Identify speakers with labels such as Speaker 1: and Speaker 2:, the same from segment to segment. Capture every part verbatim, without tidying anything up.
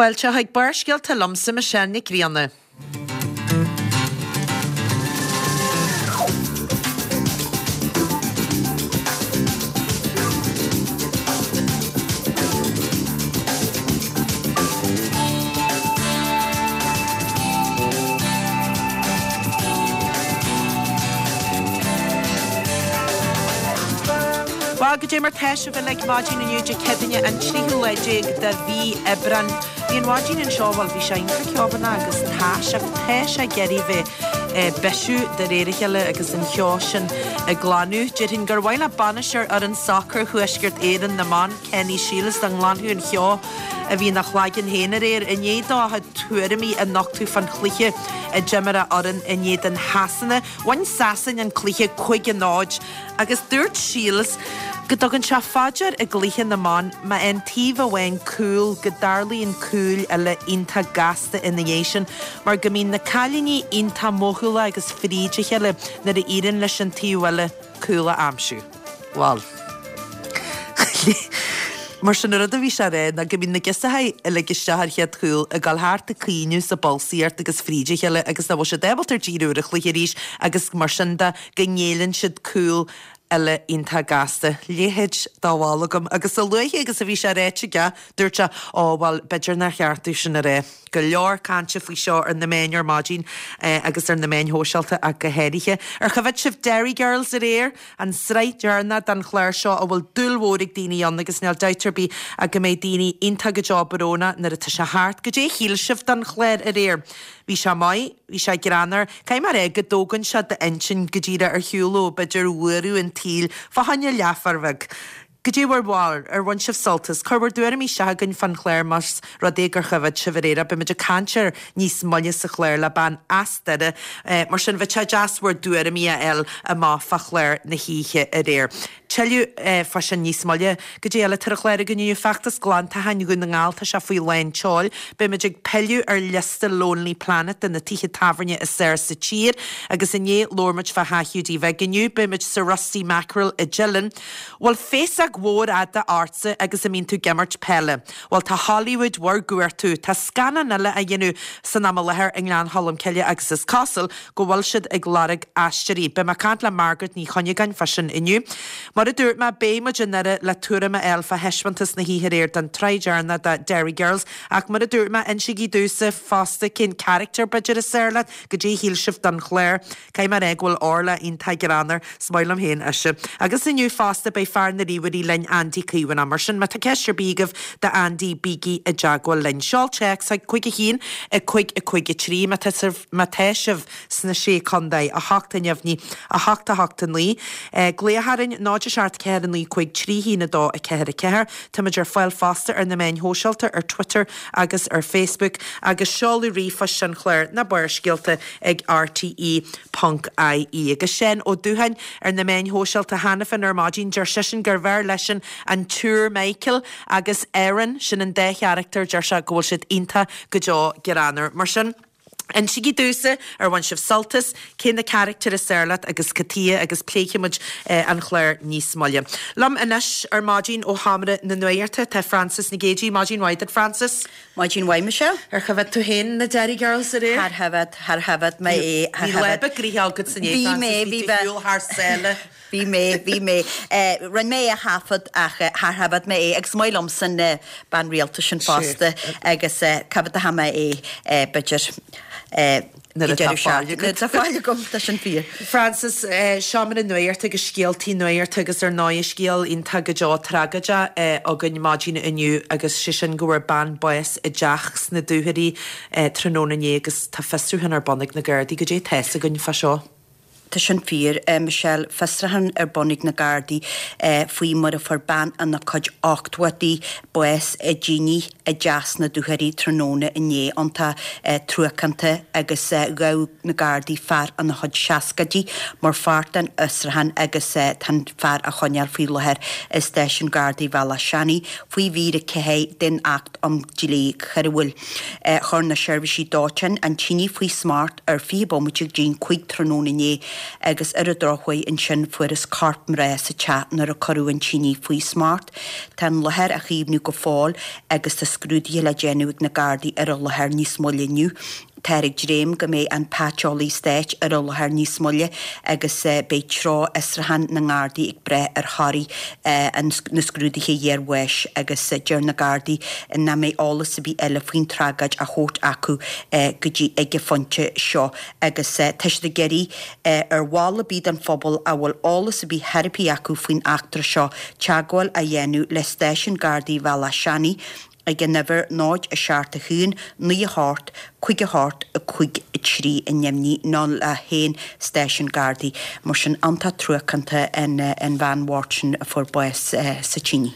Speaker 1: Fáilte chuig Barrscéalta liomsa Michelle Nic Grianna. Bhuel, goidé mar tá sibh uilig maidin inniu Dé Céadaoine an tríú lá déag de mhí Aibreán. Bhí an mhaidin anseo, bhuel, bhí sé iontach ceobhanach agus tá sé, tá sé ag iarraidh bheith ag bisiú de réir a chéile agus an cheo sin ag glanadh. Déarfainn gur mhaith le bainisteoir fhoireann sacair Thuaisceart Éireann na mban, Kenny Shiels, dá nglanfadh an cheo a bhí ina chlaigeann féin aréir i ndiaidh dó a chuid tuairimí a nochtadh fán chluiche a d'imir a fhoireann in éadan Shasana. Bhain Sasain an cluiche cúig a náid agus dúirt Shiels go dtugann sé fá dear i gcluiche na mban má fhaigheann taobh amháin cúl go dtarlaíonn cúil eile iontach gasta ina dhiaidh sin mar go mbíonn na cailíní iontach mothúlach agus fríd a chéile nuair a éiríonn leis an taobh eile cúl a aimsiú. Bhuel. Mar sin an rud a bhí sé a rá ná go mbíonn na girseachaí a lig isteach an chéad chúl ag dul thart ag caoineadh is ag bolsaíocht agus fríd a chéile agus nach bhfuil siad ábalta díriú ar an chluiche arís agus mar sin de go ngéilleann siad cúl eile iontach gasta. Leithéid de bhall agam. Agus a luaithe agus a bhí sé ráite aige, dúirt sé, Ó, bhuel, b'fhéidir nár cheart domh sin a rá. Go leor cainte faoi seo ar na meáin ar maidin agus ar na meáin shóisialta ach go háirithe. Ar choimhéad sibh Derry Girls aréir? An tsraith dheireanach den chlár seo a bhfuil dúil mhór ag daoine ann agus níl dabht ar bith ach go mbeidh daoine iontach go deo brónach nuair atá sé thart. Goidé a shíl sibh den chlár aréir? Bhí sé maith, bhí sé greannmhar. Caithfidh mé a rá go dtógann sé d'intinn go díreach ar shiúl ó b'fhéidir bhuaireamh an tsaoil fá choinne leathuair bheag. Goidé bhur bharúil? Ar bhain sibh sult as? Cuir bhur dtuairimí isteach chugainn fán chlár más rud é gur choimhéad sibh aréir é. Beimid ag caint air níos moille sa chlár le bean as Doire. Mar sin, bheadh sé deas bhur dtuairimí a fháil amach fá chlár na hoíche aréir. Tuilleadh fá sin níos moille. Goidé eile atá ar an chlár againn inniu? Feachtas Glantacháin Dhún na nGall, tá sé faoi lán tseoil. Beimid ag pilleadh ar liosta Lonely Planet de na tithe tábhairne is fearr sa tír agus inné labhair muid fá Theach Hiúdaí Bhig. Inniu beimid sa Rusty Mackerel i dTeileann. Bhfuil féasóg mhór fhada ortsa agus a mbíonn tú ag imirt peile? Bhuel tá Hollywood bhur gcuartú. Tá scannán eile á dhéanamh san am i láthair i nGleann Cholm Cille agus is cosúil go bhfuil siad ag lorg aisteoirí. Beidh mé ag caint le Margaret Ní Chuinneagáin fá sin inniu. Mar a dúirt mé, beidh muid i nDoire le tuairim a fháil fá thaispeántas na hoíche aréir den tsraith dheireanach de Derry Girls ach mar a dúirt mé, insígí domhsa fosta cén carachtar b'fhéidir is fearr leat, goidé a shíl sibh den chlár. Caithfidh mé a rá go bhfuil Orla iontach greannmhar, is maith liom féin ise. Agus inniu fosta beidh fear na ríomhairí linn, Andy Caomhánach. Mar sin, má tá ceist ar bith agaibh d'Andy, bígí i dteagmháil linn. Seol téacs chuig cúig a haon, a cúig a cúig a trí má tá sibh má tá sibh sna Sé Contae, a hocht a neamhní, a hocht a hocht a naoi. Glaoch orainn, náid a seacht ceathair a naoi cúig trí haon a dó a ceathair a ceathair. Táimid ar fáil fosta ar na meáin shóisialta, ar Twitter agus ar Facebook, agus seoladh ríomhphoist an chláir, na Barrscéalta ag rte ponc ie. Agus Seán Ó Dútháin ar na meáin shóisialta cheana féin ar maidin, deir seisean gurbh fhearr leisean an tSiúr Michael agus Erin, sin an dá charachtar, deir sé go bhfuil siad iontach go deo greannmhar. Mar sin, insígí domhsa ar bhain sibh sult as, cé na carachtair is fearr leat agus cad tuighe agus pléifidh muid an chlár níos moille. Liom anois ar maidin ó Sheomra na Nuachta tá Frances Nic Géadaigh. Maidin mhaith duit Frances.
Speaker 2: Maidin mhaith Michelle.
Speaker 1: Ar choimhéad tú féin na Derry Girls aréir?
Speaker 2: Char choimhéad, char choimhéad mé é, char
Speaker 1: Bhí lá
Speaker 2: choimhéad.
Speaker 1: beag gnoitheach agat inné
Speaker 2: Bhí
Speaker 1: Frances,
Speaker 2: mé,
Speaker 1: bhí
Speaker 2: bhí
Speaker 1: tú
Speaker 2: mé.
Speaker 1: ar shiúl thar sáile.
Speaker 2: Bhí mé, bhí mé. Rinne mé é a thaifead ach char choimhéad mé é agus is maith liomsa an bean rialta sin fosta agus cá fhad a mé é b'fhéidir
Speaker 1: Nuair atá fáil agat.
Speaker 2: Nuair atá fáil agam, tá sin fíor.
Speaker 1: Frances, Seomra na Nuachta agus scéaltaí nuachta agus ar ndóigh scéal iontach go deo tragóideach againn maidin inniu agus sé sin go bhfuair bean bás i dteach sna Dúchoraidh tráthnóna inné agus tá fiosrúchán ar bun ag na Gardaí. Goidé tá fhios againn fá seo?
Speaker 2: Tá sin fíor, Michelle. Fiosrúchán ar bun ag na Gardaí faoi mar a fuair bean ina cuid ochtóidí bás i dtine i dteach sna Dúchoraidh tráthnóna inné. Iontach truacánta agus ghabh na Gardaí fear ina chuid seascaidí mar pháirt den fhiosrúchán agus tá an fear á choinneáil faoi láthair i Stáisiún Gardaí Bhealach Seanaidh faoi mhír a ceathair den Acht um Dhlí Choiriúil. Chuir na seirbhísí dóiteáin an tine faoi smacht ar fiche bomaite go dtí an cúig tráthnóna inné. agus ar an drochuair ansin fuarthas corp mná sa teach nuair a cuireadh an tine faoi smacht. Tá an láthair á chaomhnú go fóill agus tá scrúduithe le déanamh ag na Gardaí ar an láthair níos moille inniu. Táthar ag dréim go mbeidh an Paiteolaí Stáit ar an láthair níos moille agus beidh treo fhiosrúchán na nGardaí ag brath ar thorthaí na scrúduithe iarbháis agus deir na Gardaí nach mbeidh eolas ar bith eile faoin tragóid á thabhairt acu go dtí ag an phointe seo agus tá siad ag iarraidh ar bhall ar bith den phobal a bhfuil eolas ar bith theiripí acu faoin eachtra seo teagmháil a dhéanamh le Stáisiún Gardaí Bhealach Seanaidh ag an uimhir náid a seacht a haon naoi a hocht cúig a hocht a cúig a trí a neamhní nó le haon stáisiún Gardaí. Mar sin iontach truacánta an an bhean bhocht sin a fuair bás sa tine.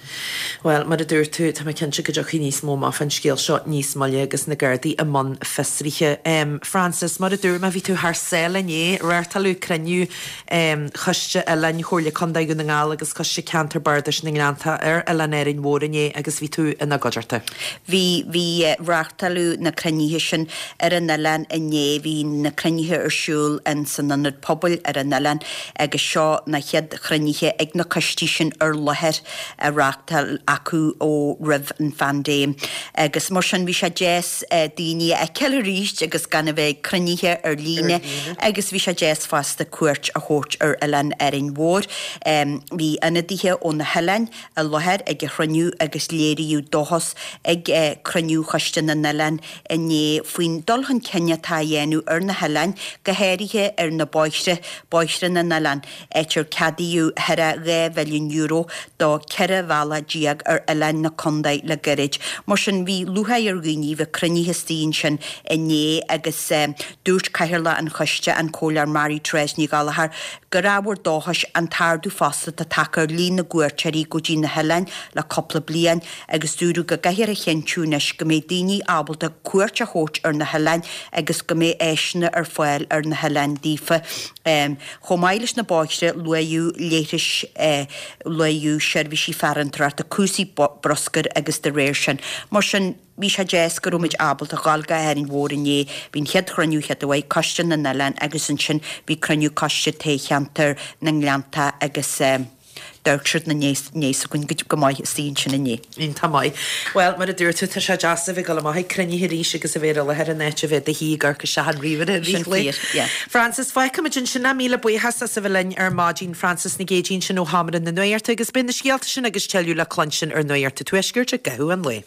Speaker 1: Bhuel, mar a dúirt tú, tá mé cinnte go dtiocfaidh níos mó amach fán scéal seo níos moille agus na Gardaí i mbun fiosraithe. Frances, mar a dúirt mé, bhí tú thar sáile inné, reáchtáladh cruinniú Choiste Oileáin Chomhairle Contae Dhún na nGall agus Coiste Ceantar Bardais na nGleannta ar Oileán Árainn Mhór inné agus bhí tú ina gcuideachta.
Speaker 2: Bhí, bhí, reáchtáladh na cruinnithe sin ar an oileán inné, bhí na cruinnithe ar siúl in san ionad pobail ar an oileán agus seo na chéad chruinnithe ag na coistí sin ar láthair a reáchtáil acu ó roimh an phaindéim. Agus mar sin bhí sé deas daoine a fheiceáil arís agus gan a bheith ag cruinnithe ar líne agus bhí sé deas fosta cuairt a thabhairt ar oileán Árainn Mhór. Bhí ionadaithe ó na hoileáin i láthair ag an chruinniú agus léiríodh dóchas ag cruinniú Choiste na nOileán inné faoin dul chun cinn atá á dhéanamh ar na hoileáin, go háirithe ar na bóithre, bóithre na n-oileán, áit ar ceadaíodh thar a dhá mhilliún euro do ceithre bhealach déag ar oileáin na contae le gairid. Mar sin, bhí lúcháir ar dhaoine bheith cruinnithe istigh ansin inné agus dúirt Cathaoirleach an Choiste, an Comhairleoir Mary Therese Ní Ghallchóir, gur ábhar dóchais an t-ardú fosta atá tagtha ar líon na gcuairteoirí go dtí na hoileáin le cúpla bliain agus dúradh go gcaithfear a chinntiú anois go mbeidh daoine ábalta cuairt a thabhairt ar na hoileáin agus go mbeidh áiseanna ar fáil ar na hoileáin daofa. Chomh maith leis na bóithre, luaíodh leithris, luaíodh seirbhísí farantóireachta, cúrsaí bruscair agus de réir sin. Mar sin, bhí sé deas go raibh muid ábalta dhul go hÁrainn Mhór inné. Bhí an chéad chruinniú chéad uair, Coiste na nOileán agus ansin bhí cruinniú Coiste Toghcheantar na nGleannta agus d'amharc siad na ndéas againn go maith istigh ansin inné.
Speaker 1: Iontach maith. Bhuel, mar a dúirt tú, tá sé deas a bheith ag dul amach ag cruinnithe arís agus a bheith ar an láthair in áit a bheith i do shuí ag amharc isteach an ríomhaire i
Speaker 2: Sin
Speaker 1: rith lae.
Speaker 2: fíor, yeah.
Speaker 1: Frances, fágfaimid ansin é. Míle buíochas as a bheith linn ar maidin, Frances Nic Géadaigh ansin ó Sheomra na Nuachta agus beidh na scéalta sin agus tuilleadh le cluinstin ar Nuacht an Tuaiscirt i gcaitheamh an lae.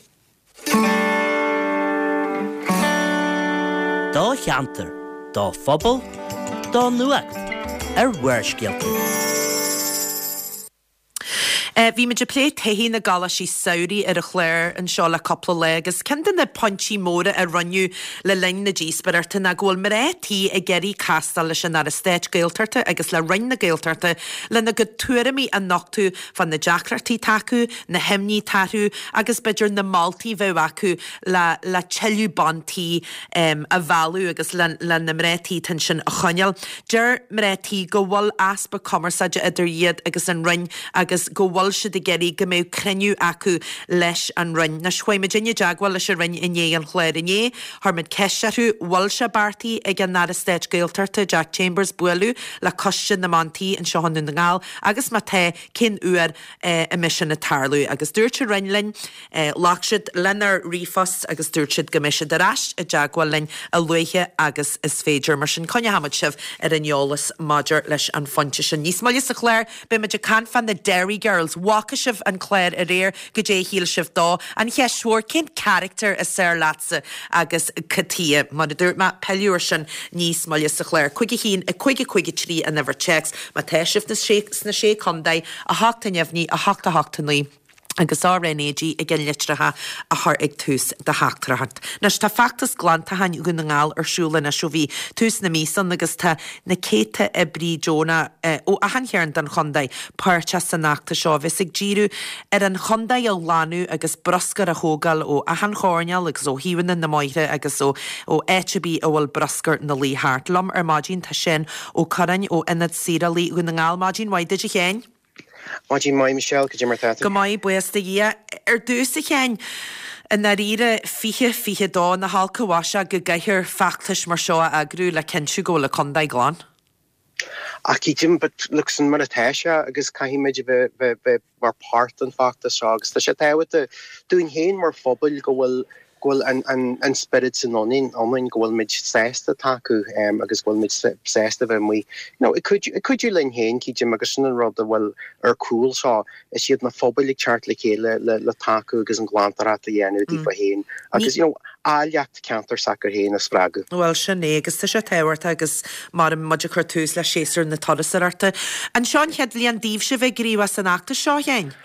Speaker 3: Do cheantar, do phobal, do nuacht ar Bharrscéalta.
Speaker 1: Bhí muid ag plé taithí na gcoláistí samhraidh ar an chlár anseo le cúpla lá agus ceann de na pointí móra a rinneadh le linn na díospóireachta ná go bhfuil mná tí ag iarraidh castáil leis an Aire Stáit Gaeltachta agus le Roinn na Gaeltachta lena gcuid tuairimí a nochtadh fá na deacrachtaí atá acu, na himní atá orthu agus b'fhéidir na moltaí a bheadh acu le le tuilleadh ban tí a mhealladh agus le le na mná tí atá ansin a choinneáil. Deir mná tí go bhfuil easpa cumarsáide idir iad agus an Roinn agus go bhfuil siad ag iarraidh go mbeadh cruinniú acu leis an Roinn. Anois, chuaigh muidinne i dteagmháil leis an Roinn i ndiaidh an chláir inné. Chuir muid ceist orthu, bhfuil sé beartaithe ag an Aire Stáit Gaeltachta, Jack Chambers, bualadh le Coiste na mBan Tí anseo i nDún na nGall agus má tá, cén uair a mbeidh sin ag tarlú? Agus dúirt an Roinn linn, ghlac siad lenár ríomhphost agus dúirt siad go mbeidh siad ar ais i dteagmháil linn a luaithe agus is féidir. Mar sin, coinneoidh muid sibh ar an eolas maidir leis an phointe sin. Níos moille sa chlár, beidh muid ag caint fá na Derry Girls. Bhfaca sibh an clár aréir? Goidé a shíl sibh dó? An cheist mhór, cén carachtar is fearr leatsa agus cad chuige? Mar a dúirt mé, pilleadh ar sin níos moille sa chlár. Cúig a haon, a cúig a cúig a trí an uimhir téacs. Má tá sibh sna Sé Chontae, a hocht a neamhní, a hocht a hocht a naoi. agus RnaG i gceannlitreacha a chur ag tús do theachtaireacht. Anois tá feachtas glantacháin Dhún na nGall ar siúl anois ó bhí tús na míosa ann agus tá na céadta oibrí deonach ó achan chearn den chontae páirteach san fheachtas seo a bheas ag díriú ar an chontae a ghlanadh agus bruscar a thógáil ó achan choirnéal agus ó thaobhanna na mbóithre agus ó ó áit ar bith a bhfuil bruscar 'na luí thart. Liom ar maidin tá Seán Ó Curráin ó Ionad Saorálaí Dhún na nGall. Maidin mhaith duit a Sheáin.
Speaker 4: Maidin mhaith Michelle, cad é mar tá tú?
Speaker 1: Go maith, buíochas do Dhia. Ar dtús a Sheáin, i ndáiríre, fiche fiche dó, nach olc an mhaise go gcaithfear feachtais mar seo a eagrú le cinntiú go bhfuil an contae glan?
Speaker 4: Ach cídim, but look, sin mar atá sé agus caithfidh muid a bheith bheith bheith mar páirt den feachtas seo agus tá sé tábhachtach dúinn féin mar phobal go bhfuil go bhfuil an an an spiorad sin ionainn ionainn go bhfuil muid sásta tacú um, agus go bhfuil muid sásta bheith amuigh you know, ag cuidiú ag cuidiú linn féin cídim agus sin an rud a bhfuil ar cúl seo is iad na phobail ag teacht le chéile le le tacú agus an glantóireacht a dhéanamh daofa féin agus you know, áilleacht ceantar s'acu féin a spreagadh.
Speaker 1: Bhuel sin é agus tá sé tábhachtach agus mar muid ag cur tús le séasúr na turasóireachta. An seo an chéad bhliain daoibhse bheith gníomhach san fheachtas seo féin?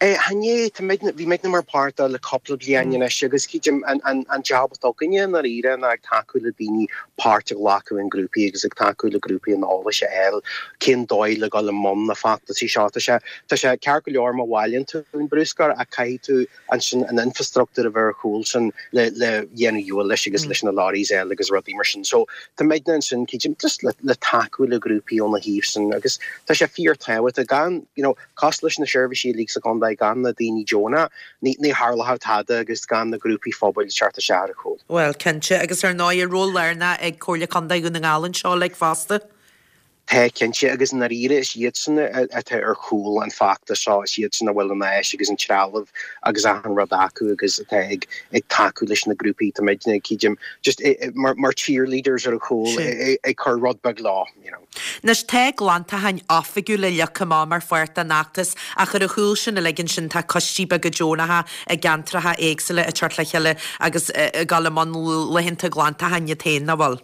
Speaker 4: Eh, chan é bhí muidne mar páirt le cúpla bliain anois agus cídim an, an, an job atá againne i ndáiríre ná ag tacú le daoine páirt a ghlacadh in grúpaí agus ag tacú le grúpaí an eolais a fháil cén dóigh le dul i mbun na feachtasaí seo tá sé tá sé ceart go leor má bhailíonn tú an bruscar ach caithfidh tú ansin an infrastruchtúr a bheith ar chúl sin le le dhéanamh leis agus leis na lorries eile agus rudaí mar sin. So tá muidne ansin cídim just le, le tacú le grúpaí óna thaobh sin agus tá sé fíorthábhachtach gan you know, cos leis na seirbhísí uilig sa chontae gan na daoine deonacha ní ní tharlódh tada agus gan na grúpaí phobail teacht isteach ar chúl.
Speaker 1: Well cinnte agus ar ndóigh ról lárnach ag Comhairle Contae Dhún na nGall anseo le fosta.
Speaker 4: Tá cinnte agus i ndáiríre is iad sin atá ar chúl an feachtas seo is iad sin a bhfuil an áis agus an trealamh agus an rud acu agus atá ag ag tacú leis na grúpaí tá muidne cídim just mar, mar cheerleaders ar a chúl ag cur rud beag leo. You know.
Speaker 1: Anois tá glantacháin oifigiúla leagtha amach mar pháirt den fheachtas ach ar a chúl sin a ligean sin tá coistí beaga deonacha i gceantracha éagsúla ag teacht le chéile agus ag dul i mbun laethanta glantacháin iad féin nach bhfuil.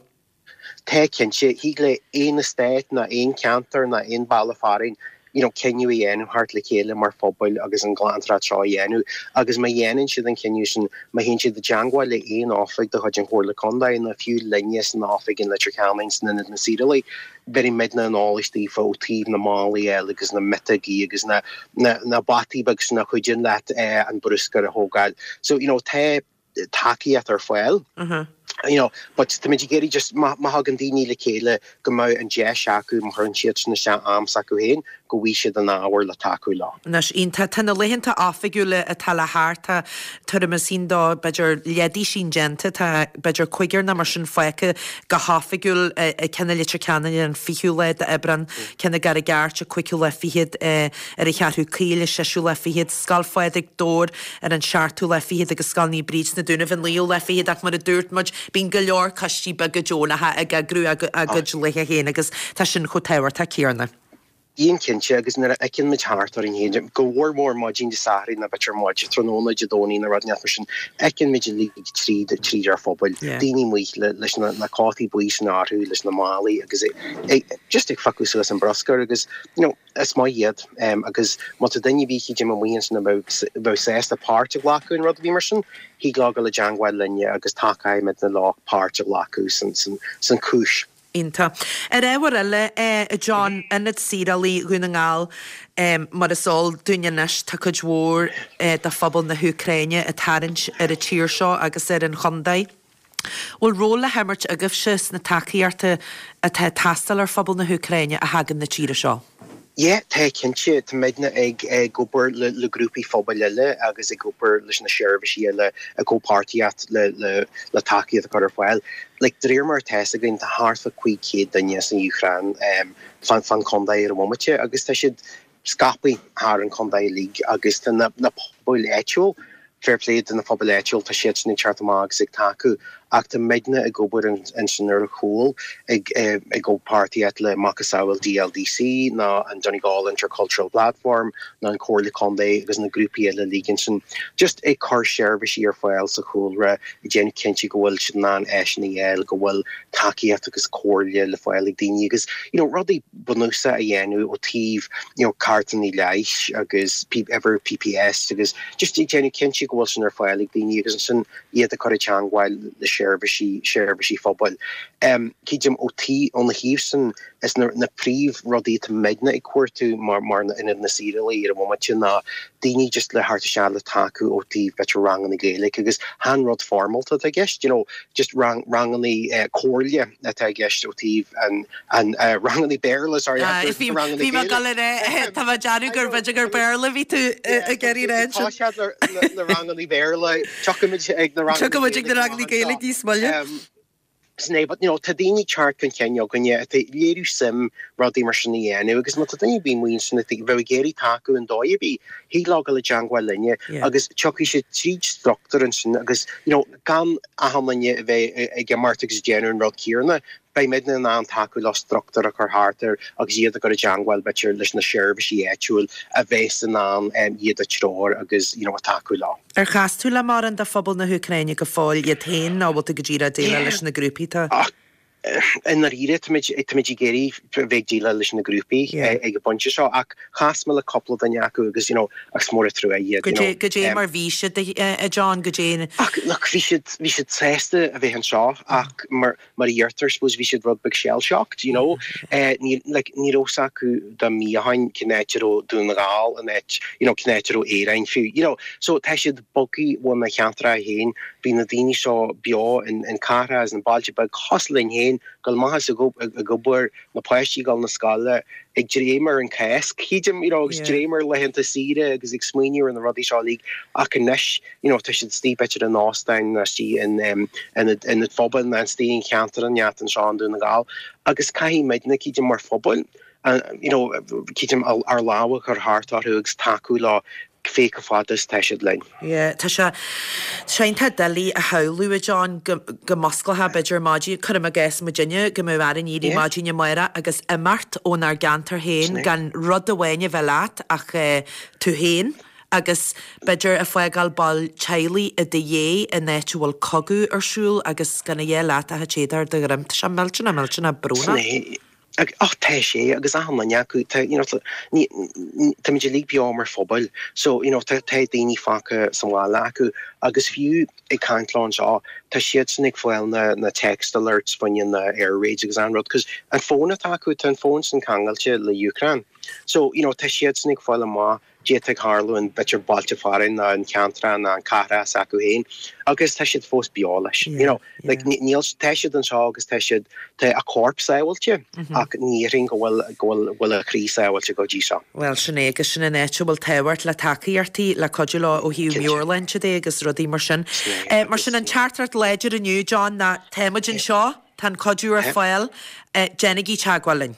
Speaker 4: Tá cinnte thig le aon eastát ná aon ceantar ná aon baile fearainn you know, cinneadh a dhéanamh thart le chéile mar phobal agus an ghlantóireacht seo a dhéanamh agus má dhéanann siad an cinneadh sin má théann siad i dteagmháil le aon oifig de chuid an Chomhairle Contae nó fiú linne san oifig in Leitir Ceanainn san Ionad na Saorálaí, bheir muidne an eolas daofa ó taobh na málaí eile agus na miotógaí agus na, na, na bataí beag sin a chuidíonn leat eh, an bruscar a thógáil. So you know, tá tacaíocht ar fáil.
Speaker 1: Uh -huh.
Speaker 4: You know, but tá muid ag iarraidh just má thagann daoine le chéile go mbeidh an deis acu má chuireann siad sin isteach am s'acu féin go bhfaighidh siad an ábhar le tacú leo.
Speaker 1: Anois iontach tá na laethanta oifigiúla atá le theacht tá tuairim sin dó b'fhéidir leath díobh sin déanta tá b'fhéidir cúigear nó mar sin fágtha go hoifigiúil ceann i Leitir Ceanainn an fichiú lá d'Aibreán ceann i gCarraig Airt an cúigiú lá fichead ar an Cheathrú Caoil an séú lá fichead Scoil Phádraig Dobhair ar an seachtú lá fichead agus Scoil Naomh Bríd sna Dúnaibh an naoú lá fichead ach mar a dúirt muid bíonn go leor coistí beaga deonacha ag eagrú a gcuid laetha féin agus tá sin chomh tábhachtach céanna.
Speaker 4: Íon cinnte agus nuair a fheiceann muid thart orainn féin go mór mór maidin Dé Sathairn nó b'fhéidir maidin tráthnóna Dé Domhnaigh nó rud mar sin fheiceann muid uilig tríd tríd ar phobail daoine amuigh leis na, na cótaí buí sin orthu leis na málaí agus just ag phiocadh suas an bruscar agus you know, is maith iad um, agus má tá duine bhí chi amuigh sin bheith sásta páirt a ghlacadh in rud bhí mar sin, thig leo dul i dteagmháil linne agus tacóimid leo páirt a ghlacadh san, san, san cúis.
Speaker 1: Iontach. Ar ábhar eile eh, John Ionad Saorálaí Dhún na nGall um, mar is eol dúinn anois tá cuid mhór eh, de phobal na hÚcráine ag tarraingt ar an tír seo agus ar an chontae. Bhfuil ról le himirt agaibhse sna tacaíochtaí atá ag teastáil ar phobal na hÚcráine a thagann na tíre seo.
Speaker 4: Yeah, tá cinnte tá muidne ag ag obair le, le grúpaí phobail eile agus ag obair leis na seirbhísí eile a comhpháirtíocht le, le, le tacaíocht a chur ar fáil. Like, de réir mar atá againn tá thart fá cúig chéad duine san Úcráin um, fan fan chontae ar an bhomaite agus tá siad scaipthe thar an chontae uilig agus tá na, na pobail áitiúil fair play do na pobail áitiúil tá siad sin ag teacht amach agus ag tacú ach tá muidne ag obair ansin ar a chúl ag ag comhpháirtíocht le macasamhail DLDC ná an Donegal Intercultural Platform ná an Comhairle Contae agus na grúpaí eile uilig sin just ag cur seirbhísí ar fáil sa chúlra ag déanamh cinnte go bhfuil siad in ann áiseanna a fháil go bhfuil tacaíocht agus comhairle le fáil ag daoine agus you know, rudaí bunúsacha a dhéanamh ó taobh you know, cártanna leighis agus ever PPS agus just ag déanamh cinnte go bhfuil sin ar fáil ag daoine agus sin iad a chur i dteagmháil le seirbhísí seirbhísí phobail. Um, Cídim ó tí óna thaobh sin is na, na príomhrudaí atá muidne ag cuartú mar mar na ionad na saorálaí ar an bhomaite ná daoine just le theacht isteach le tacú ó taobh b'fhéidir ranganna Gaeilge agus chan rud foirmiúil atá i gceist, you know, just rang, ranganna uh, comhairle atá i gceist ó taobh an, an uh, ranganna Béarla sorry,
Speaker 1: Bhí mé ag dul tá mé ag déanamh gur b'fhéidir gur Béarla bhí tú ag iarraidh rá.
Speaker 4: Tá siad le, le, le ranganna Béarla, Tiocfaimid ag na ranganna
Speaker 1: Tiocfaimid ag na ranganna Gaeilge níos moille.
Speaker 4: Um, Sin é, but you know, tá daoine ag teacht chun cinn againne atá ag léiriú suim rudaí mar sin a dhéanamh agus má tá duine ar bith amuigh ansin atá bheith ag iarraidh tacú in dóigh ar bith, thig leo dul i dteangmháil linne
Speaker 1: Yeah.
Speaker 4: agus tiocfaidh siad tríd struchtúr ansin agus you know, gan achan duine a bheith ag imeacht agus ag déanamh an rud céanna, beidh muidne in ann tacú leo struchtúr a chur thart air agus iad a chur i dteangmháil b'fhéidir leis na seirbhísí áitiúil a bheas in ann um, iad a treorú agus you know, a tacú leo.
Speaker 1: Ar chas tú le mórán de phobal na hÚcráine go fóill iad féin nó bhfuil tú go díreach ag déileáil
Speaker 4: Yeah.
Speaker 1: leis na grúpaí tá?
Speaker 4: Ach i ndáiríre táimid táimid ag iarraidh bheith ag déileáil leis na grúpaí
Speaker 1: Yeah.
Speaker 4: ag an bpointe seo ach chas mé le cúpla duine acu agus you know, ach is mór an trua iad.
Speaker 1: Go
Speaker 4: you know,
Speaker 1: dé go dé
Speaker 4: um,
Speaker 1: mar bhí siad a a John go dé
Speaker 4: Ach look, bhí siad bhí siad sásta a bheith anseo ach mar mar a dheirtear suppose bhí siad rud beag shell-shocked, you know. Eh, ní like, ní raibh fhios acu dá mí ó shin cén áit a raibh Dún na nGall an áit, you know, cén áit a raibh Éirinn fiú, you know. So tá siad bogtha óna cheantar féin, bhí na daoine seo beo in, in cathracha is na bailte beag cosúil linn féin, dul amach is ag ob- ag obair na páistí dul na scoile ag dréim ar an Cháisc cídim, you know, agus
Speaker 1: Yeah.
Speaker 4: dréim ar laethanta saoire agus ag smaoineamh ar na rudaí seo uilig ach anois, you know, tá siad istigh b'fhéidir in óstán nó istigh in um, in in an phobal na istigh in cheantar an neat anseo in Dún na nGall agus caithfidh muidne cídim mar phobal uh, you know, cídim ár lámh a chur thart orthu agus tacú leo fé go fada is tá siad linn.
Speaker 1: Yeah, tá sé sé tá doiligh a shamhlú a John go go musclaithe b'fhéidir maidin cuirim i gcás muidinne go mbeadh orainn éirí
Speaker 4: Yeah.
Speaker 1: maidin amárach agus imeacht ónár gceantar féin
Speaker 4: Sin é.
Speaker 1: gan rud amháin a bheith leat ach eh, tú féin agus b'fhéidir ag fágáil ball teaghlaigh i do dhiaidh in áit a bhfuil cogadh ar siúl agus gan a dhath leat ach an t-éadach ar do dhroim. Tá sé millteanach millteanach
Speaker 4: Sin
Speaker 1: brónach.
Speaker 4: é. Ag- Ach tá sé agus achan duine acu tá you know, tá- ní- ní- Táimid uilig beo mar phobal, so you know, tá tá daoine fágtha sa bhaile acu agus fiú ag caint leo anseo tá siadsan ag fáil na, na text alerts faoi na air raids agus an rud, cos an fón atá acu tá an fón sin ceangailte le Ukraine. So you know, tá siadsan ag fáil amach cad tá ag tarlú in b'fhéidir bailte fearainn ná an ceantar ná an cathair s'acu féin agus tá siad fós beo leis.
Speaker 1: Yeah,
Speaker 4: You know, like
Speaker 1: yeah.
Speaker 4: ní- níl tá siad anseo agus tá siad tá a corp sábháilte ach ní ring go bhfuil go bhfuil bhfuil a chroí sábháilte go dtí seo.
Speaker 1: Well sin é agus sin an áit a bhfuil tábhacht le tacaíochtaí le cuidiú leo ó thaobh
Speaker 4: Cinnte.
Speaker 1: meabhairshláinte de agus rudaí mar sin.
Speaker 4: Sin é,
Speaker 1: Eh, mar sin an teachtaireacht láidir inniu John ná táimid anseo tá an cuidiú ar
Speaker 4: Yeah.
Speaker 1: fáil eh, déanaigí teagmháil linn.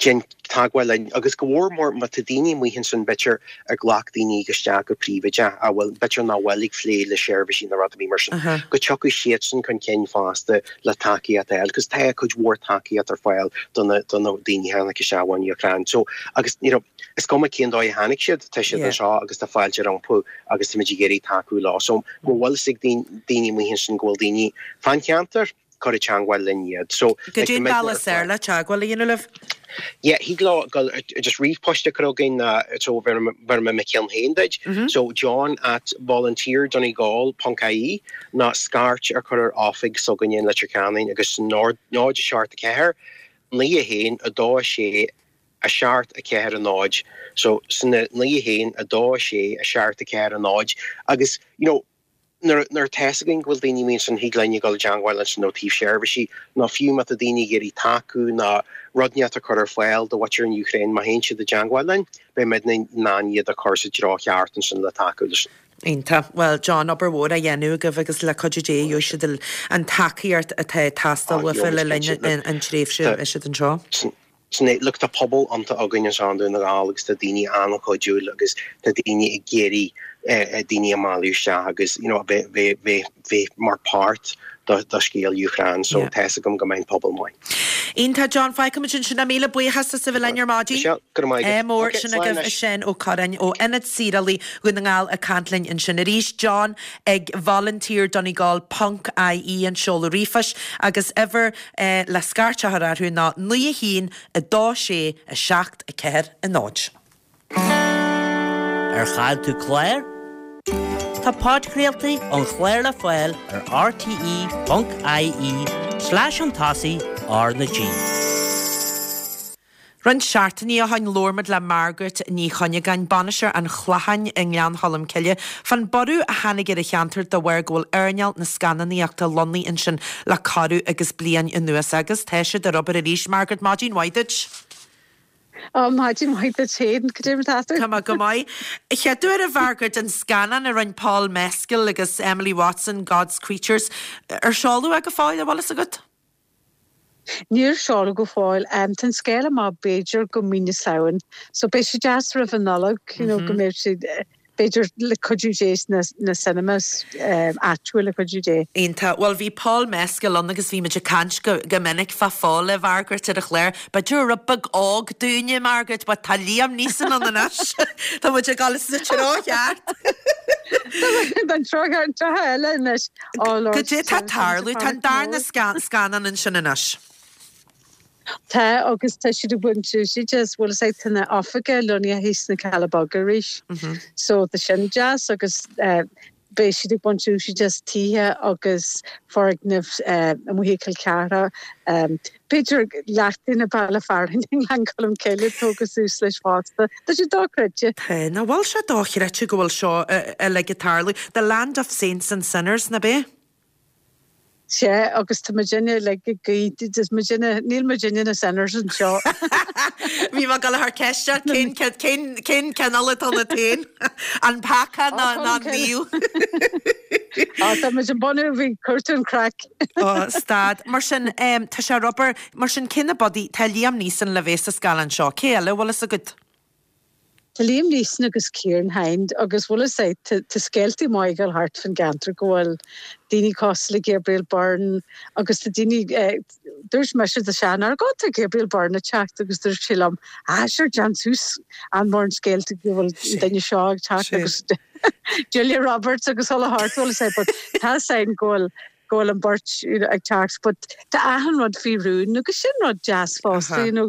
Speaker 4: Déan teagmháil linn agus go mhór mór má tá daoine amuigh ansin b'fhéidir a ghlac daoine isteach go príobháideach a bhfuil b'fhéidir nach bhfuil ag plé le seirbhísí na rudaí mar sin.
Speaker 1: Aha.
Speaker 4: Go dtiocfaidh siadsan chun cinn fosta le tacaíocht eile, cos tá cuid mhór tacaíocht ar fáil do na do na daoine a tháinig isteach ón Úcráin. So agus you know, is cuma cén dóigh a tháinig siad tá siad
Speaker 1: Yeah.
Speaker 4: anseo agus tá fáilte rompu agus táimid ag iarraidh tacú leo. So go bhfuil sig daoine amuigh ansin go bhfuil daoine fan cheantar cur i teagmháil linn iad. So
Speaker 1: Go dtí bealach saor le teagmháil a dhéanamh libh?
Speaker 4: Yeah, thig leo go just ríomhphost a chur chugainn na so bheir mé mo cheann féin duit. So John at volunteerdonegal.ie ná scairt a chur ar oifig s'againne in Leitir Ceanainn agus náid náid a seacht a ceathair, naoi a haon a dó a sé a seacht a ceathair a náid. So sin naoi a haon a dó a sé a seacht a ceathair a náid agus you know, nuair nuair atá a fhios againn go bhfuil daoine amuigh ansin thig linn dul i dteagmháil leis nó taobh seirbhísí ná fiú má tá daoine ag iarraidh tacú ná rud inteacht a chur ar fáil do mhuintir an Úcráin má théann siad i dteagmháil linn, beidh muid in ann iad a chur sa treo cheart ansin le tacú leis.
Speaker 1: Iontach well John obair mhór á dhéanamh agaibh agus le cuidiú Dé gheobhaidh siad an tacaíocht atá ag teastáil
Speaker 4: Ah,
Speaker 1: uafa le
Speaker 4: gheobhaidh
Speaker 1: linn
Speaker 4: cinnte,
Speaker 1: an tréimhse
Speaker 4: Tá-
Speaker 1: is siad anseo.
Speaker 4: Sin é, look tá pobal iontach againn anseo i nDún na nGall agus tá daoine an-chuidiúil agus tá daoine ag iarraidh eh, daoine a mhealladh isteach agus you know, bheith bheith bheith bheith mar páirt do do scéal Úcráin, so
Speaker 1: Yeah.
Speaker 4: tá agam go mbeidh pobal maith.
Speaker 1: Iontach John fágfaimid ansin é míle buíochas as a bheith linn ar maidin.
Speaker 4: Michelle, go raibh maith agat.
Speaker 1: É mór
Speaker 4: Okay,
Speaker 1: sin
Speaker 4: slán
Speaker 1: agaibh
Speaker 4: anois.
Speaker 1: sin ó Corrin ó Ionad Saorálaí Dhún na nGall ag caint linn ansin arís John ag volunteer Donegal ponc IE an seoladh ríomhphoist agus uimhir eh, le scairt a chur orthu ná naoi a haon a dó sé a seacht a ceathair a náid.
Speaker 3: Ar chaill tú clár? Tá podchraoltaí an chláir le fáil ar rte.ie slash an tosaigh R na G.
Speaker 1: Roinnt seachtainí ó shin labhair muid le Margaret Ní Chuinneagáin bainisteoir an Chlocháin i nGleann Cholm Cille, fan borradh a tháinig ar a cheantar de bharr go bhfuil earnáil na scannánaíochta lonnaithe ansin le corradh agus bliain anuas agus tá siad ar obair arís Margaret maidin mhaith duit.
Speaker 5: Á maidin mhaith duit féin cad é mar atá tú.
Speaker 1: Tá mé go maith. Chéad uair a Margaret an scannán a rinne Paul Mescal agus Emily Watson God's Creatures ar seoladh go fóill an bhfuil a fhios agat?
Speaker 5: Níor seoladh go fóill. Tá an scéal amach b'fhéidir go mí na Samhain. So beidh sé deas roimh an Nollaig, you know, go mbeidh sé b'fhéidir le cuidiú Dé sna na cinemas áitiúil le cuidiú Dé.
Speaker 1: Iontach. Bhuel bhí Paul Mescal ann agus bhí muid ag caint go go minic fá Phól a Mhargaret ar an chlár. B'fhéidir rud beag óg dúinne Margaret, but tá Liam Neeson ann anois. Tá muid ag dul sa treo cheart.
Speaker 5: An treo an treo eile anois. Oh Lord.
Speaker 1: Goidé tá ag tarlú, tá an darna scannán ansin anois.
Speaker 5: Tá agus tá siad ag baint úsáid as bhfuil sé tá na oifigí lonnaithe thíos sna Cealla Beaga arís. So tá sin deas agus beidh siad ag baint úsáid as tithe agus foirgnimh amuigh i gCill Chartha. B'fhéidir leath na baile fearainn i nGleann Cholm Cille tógtha suas leis fosta. Tá sé dochreidte.
Speaker 1: Tá, nach bhfuil sé dochreidte go bhfuil seo uilig ag tarlú. The Land of Saints and Sinners, nach b'é?
Speaker 5: Sea, agus tá muidinne like ag guí, muidinne, níl muidinne na sinners anseo.
Speaker 1: Bhí mé ag dul a chur ceist ort cén cén cén cineál atá ionat féin? An peaca nó nó an naomh?
Speaker 5: Á tá muid an bunú bhí cuairtú an craic.
Speaker 1: Ó, stad. Mar sin, tá sé ar obair, mar sin cé na budaí, tá Liam Neeson le bheith sa scannán seo, cé eile a bhfuil fhios agat?
Speaker 5: Tá Liam Neeson agus Ciarán Hinds agus bhfuil fhios a'd tá scéaltaí maith ag dul thart fan gceantar go bhfuil daoine cosúil le Gabriel Byrne agus tá daoine dúirt mise do Seán ar go tá Gabriel Byrne ag teacht agus dúirt sé liom ah sure déan suas an mórán scéalta go bhfuil an duine seo ag teacht agus Julia Roberts agus chuile shórt bhfuil fhios a'd but tá sign go bhfuil go bhfuil an beirt ag teacht but tá achan rud faoi rún agus sin rud deas fosta you know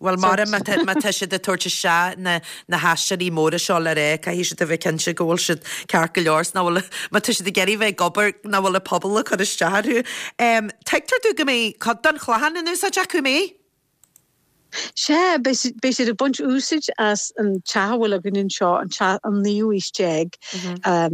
Speaker 1: Bhuel, mar má tá siad ag tabhairt isteach na na haisteoirí móra seo le rá, caithfidh siad a bheith cinnte go bhfuil siad ceart go leor, 's nach bhfuil, má tá siad ag iarraidh bheith ag obair, nach bhfuil an pobal ag cur isteach orthu. Tuigtear domh go mbeidh cuid den Chlochán in úsáid acu, an mbeidh?
Speaker 5: Sea, beidh beidh siad ag baint úsáid as an teach a bhfuil againn anseo, an teach an naoú aois déag,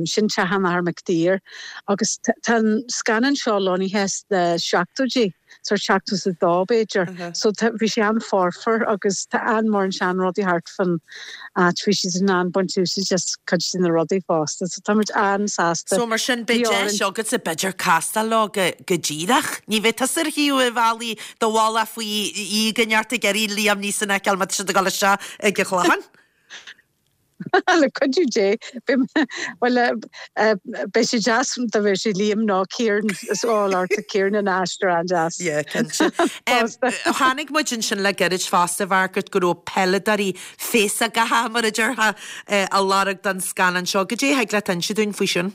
Speaker 5: sin teach an Athar McDeere, agus tá an scannán seo lonnaithe sna seachtóidí. sórt seachtó is a dó b'fhéidir. So tá, bhí sé an-fhoirfe agus tá an-mhórán seanrudaí thart fan áit, bhí siad in ann baint úsáid as cuid de na rudaí fosta. So táimid an-sásta.
Speaker 1: So mar sin beidh deis agatsa b'fhéidir castáil leo go, go díreach. Ní bheidh tusa ar thaobh an bhealaigh do mhullach faoi dhíog in ort ag iarraidh Liam Neeson a fheiceáil má tá siad ag dul isteach ag an Chlochán.
Speaker 5: Le cuidiú Dé, bhuel, beidh sé deas dá mbeadh sé Liam nó Ciarán, is oh Lord, tá Ciarán ina aisteoir an-deas.
Speaker 1: Yeah, cinnte. Chonaic muid ansin le gairid fosta, Mhargaret, go raibh peileadóirí féasógacha, mar a déarfá, á lorg don scannán seo. Goidé a thig leat inse dúinn faoi sin?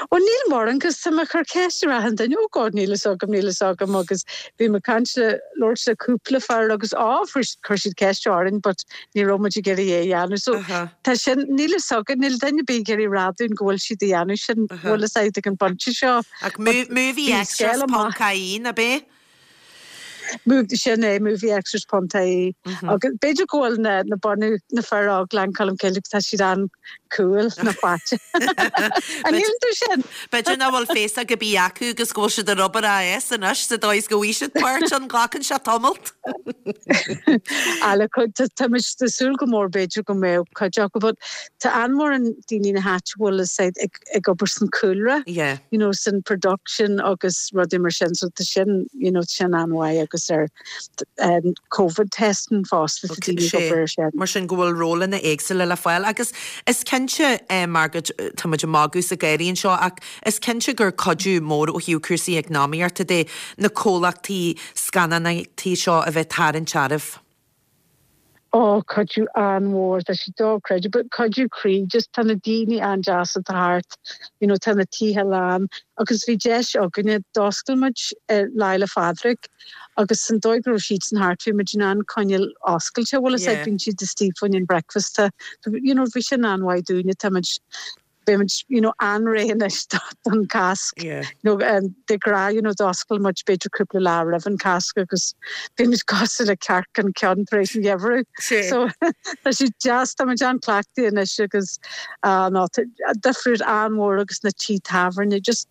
Speaker 5: Bhuel níl mórán 'cause tá mé ag cur ceist ar achan duine, oh God níl fhios agam, níl fhios agam agus bhí mé ag caint le, labhairt le cúpla fear agus á fuair chuir siad ceist orainn but ní raibh muid ag iarraidh é a dhéanamh so tá sin, níl fhios againn, níl duine ar bith ag iarraidh rá dúinn go bhfuil siad a dhéanamh sin, bhfuil fhios agat ag an bpointe seo.
Speaker 1: Ach movie extras ponc ie, ab é?
Speaker 5: Sin é, movie extras ponc ie. Agus b'fhéidir go bhfuil na na bunadh na fir óg Gleann Cholm Cille tá siad an-cool na fáite. An níl tú sin?
Speaker 1: B'fhéidir nach bhfuil féasóg ar bith acu agus go bhfuil siad ar obair AS anois sa dóigh is go bhfaighidh siad páirt ann glacann sé tamalt.
Speaker 5: Ah le cuid tá muid ag súil go mór b'fhéidir go mbeadh cuid acu but tá an-mhórán daoine na háite bhfuil a fhios ag ag obair san cúlra,
Speaker 1: Yeah.
Speaker 5: you know, san production agus rudaí mar sin so tá sin, you know, sin an-mhaith agus ar um, COVID testing fosta tá daoine ag obair ar sin.
Speaker 1: Mar sin go bhfuil rólanna éagsúla le fáil agus is cinnte eh, Margaret, tá muid ag magadh is ag gáirí anseo ach is cinnte gur cuidiú mór ó thaobh cúrsaí eacnamaíochta de na comhlachtaí scannánaíochta seo a bheith tarraingt oraibh.
Speaker 5: Ó cuidiú an-mhór tá sé dochreidte, but cuidiú croí just tá na daoine an-deas atá thart, you know, tá na tithe lán agus bhí deis againne d'oscail muid uh, Lá Fhéile Phádraig agus san dóigh go raibh siad san thart bhí muid in ann coinneáil oscailte bhfuil fhios a'd
Speaker 1: Yeah.
Speaker 5: bíonn siad istigh fá choinne an breakfast you know, bhí sin an-mhaith dúinne tá muid beimid you know, an-réidh anois don Cásc.
Speaker 1: Yeah.
Speaker 5: You know, um, de ghnáth you know, d'oscail muid b'fhéidir cúpla lá roimh an Cásc agus bhí cosúil le cearc an ceann tar éis an gheimhridh.
Speaker 1: Sí.
Speaker 5: So tá sé deas tá muid an-chleachtaithe anois agus uh, no, difríocht an-mhór agus na tithe tábhairne just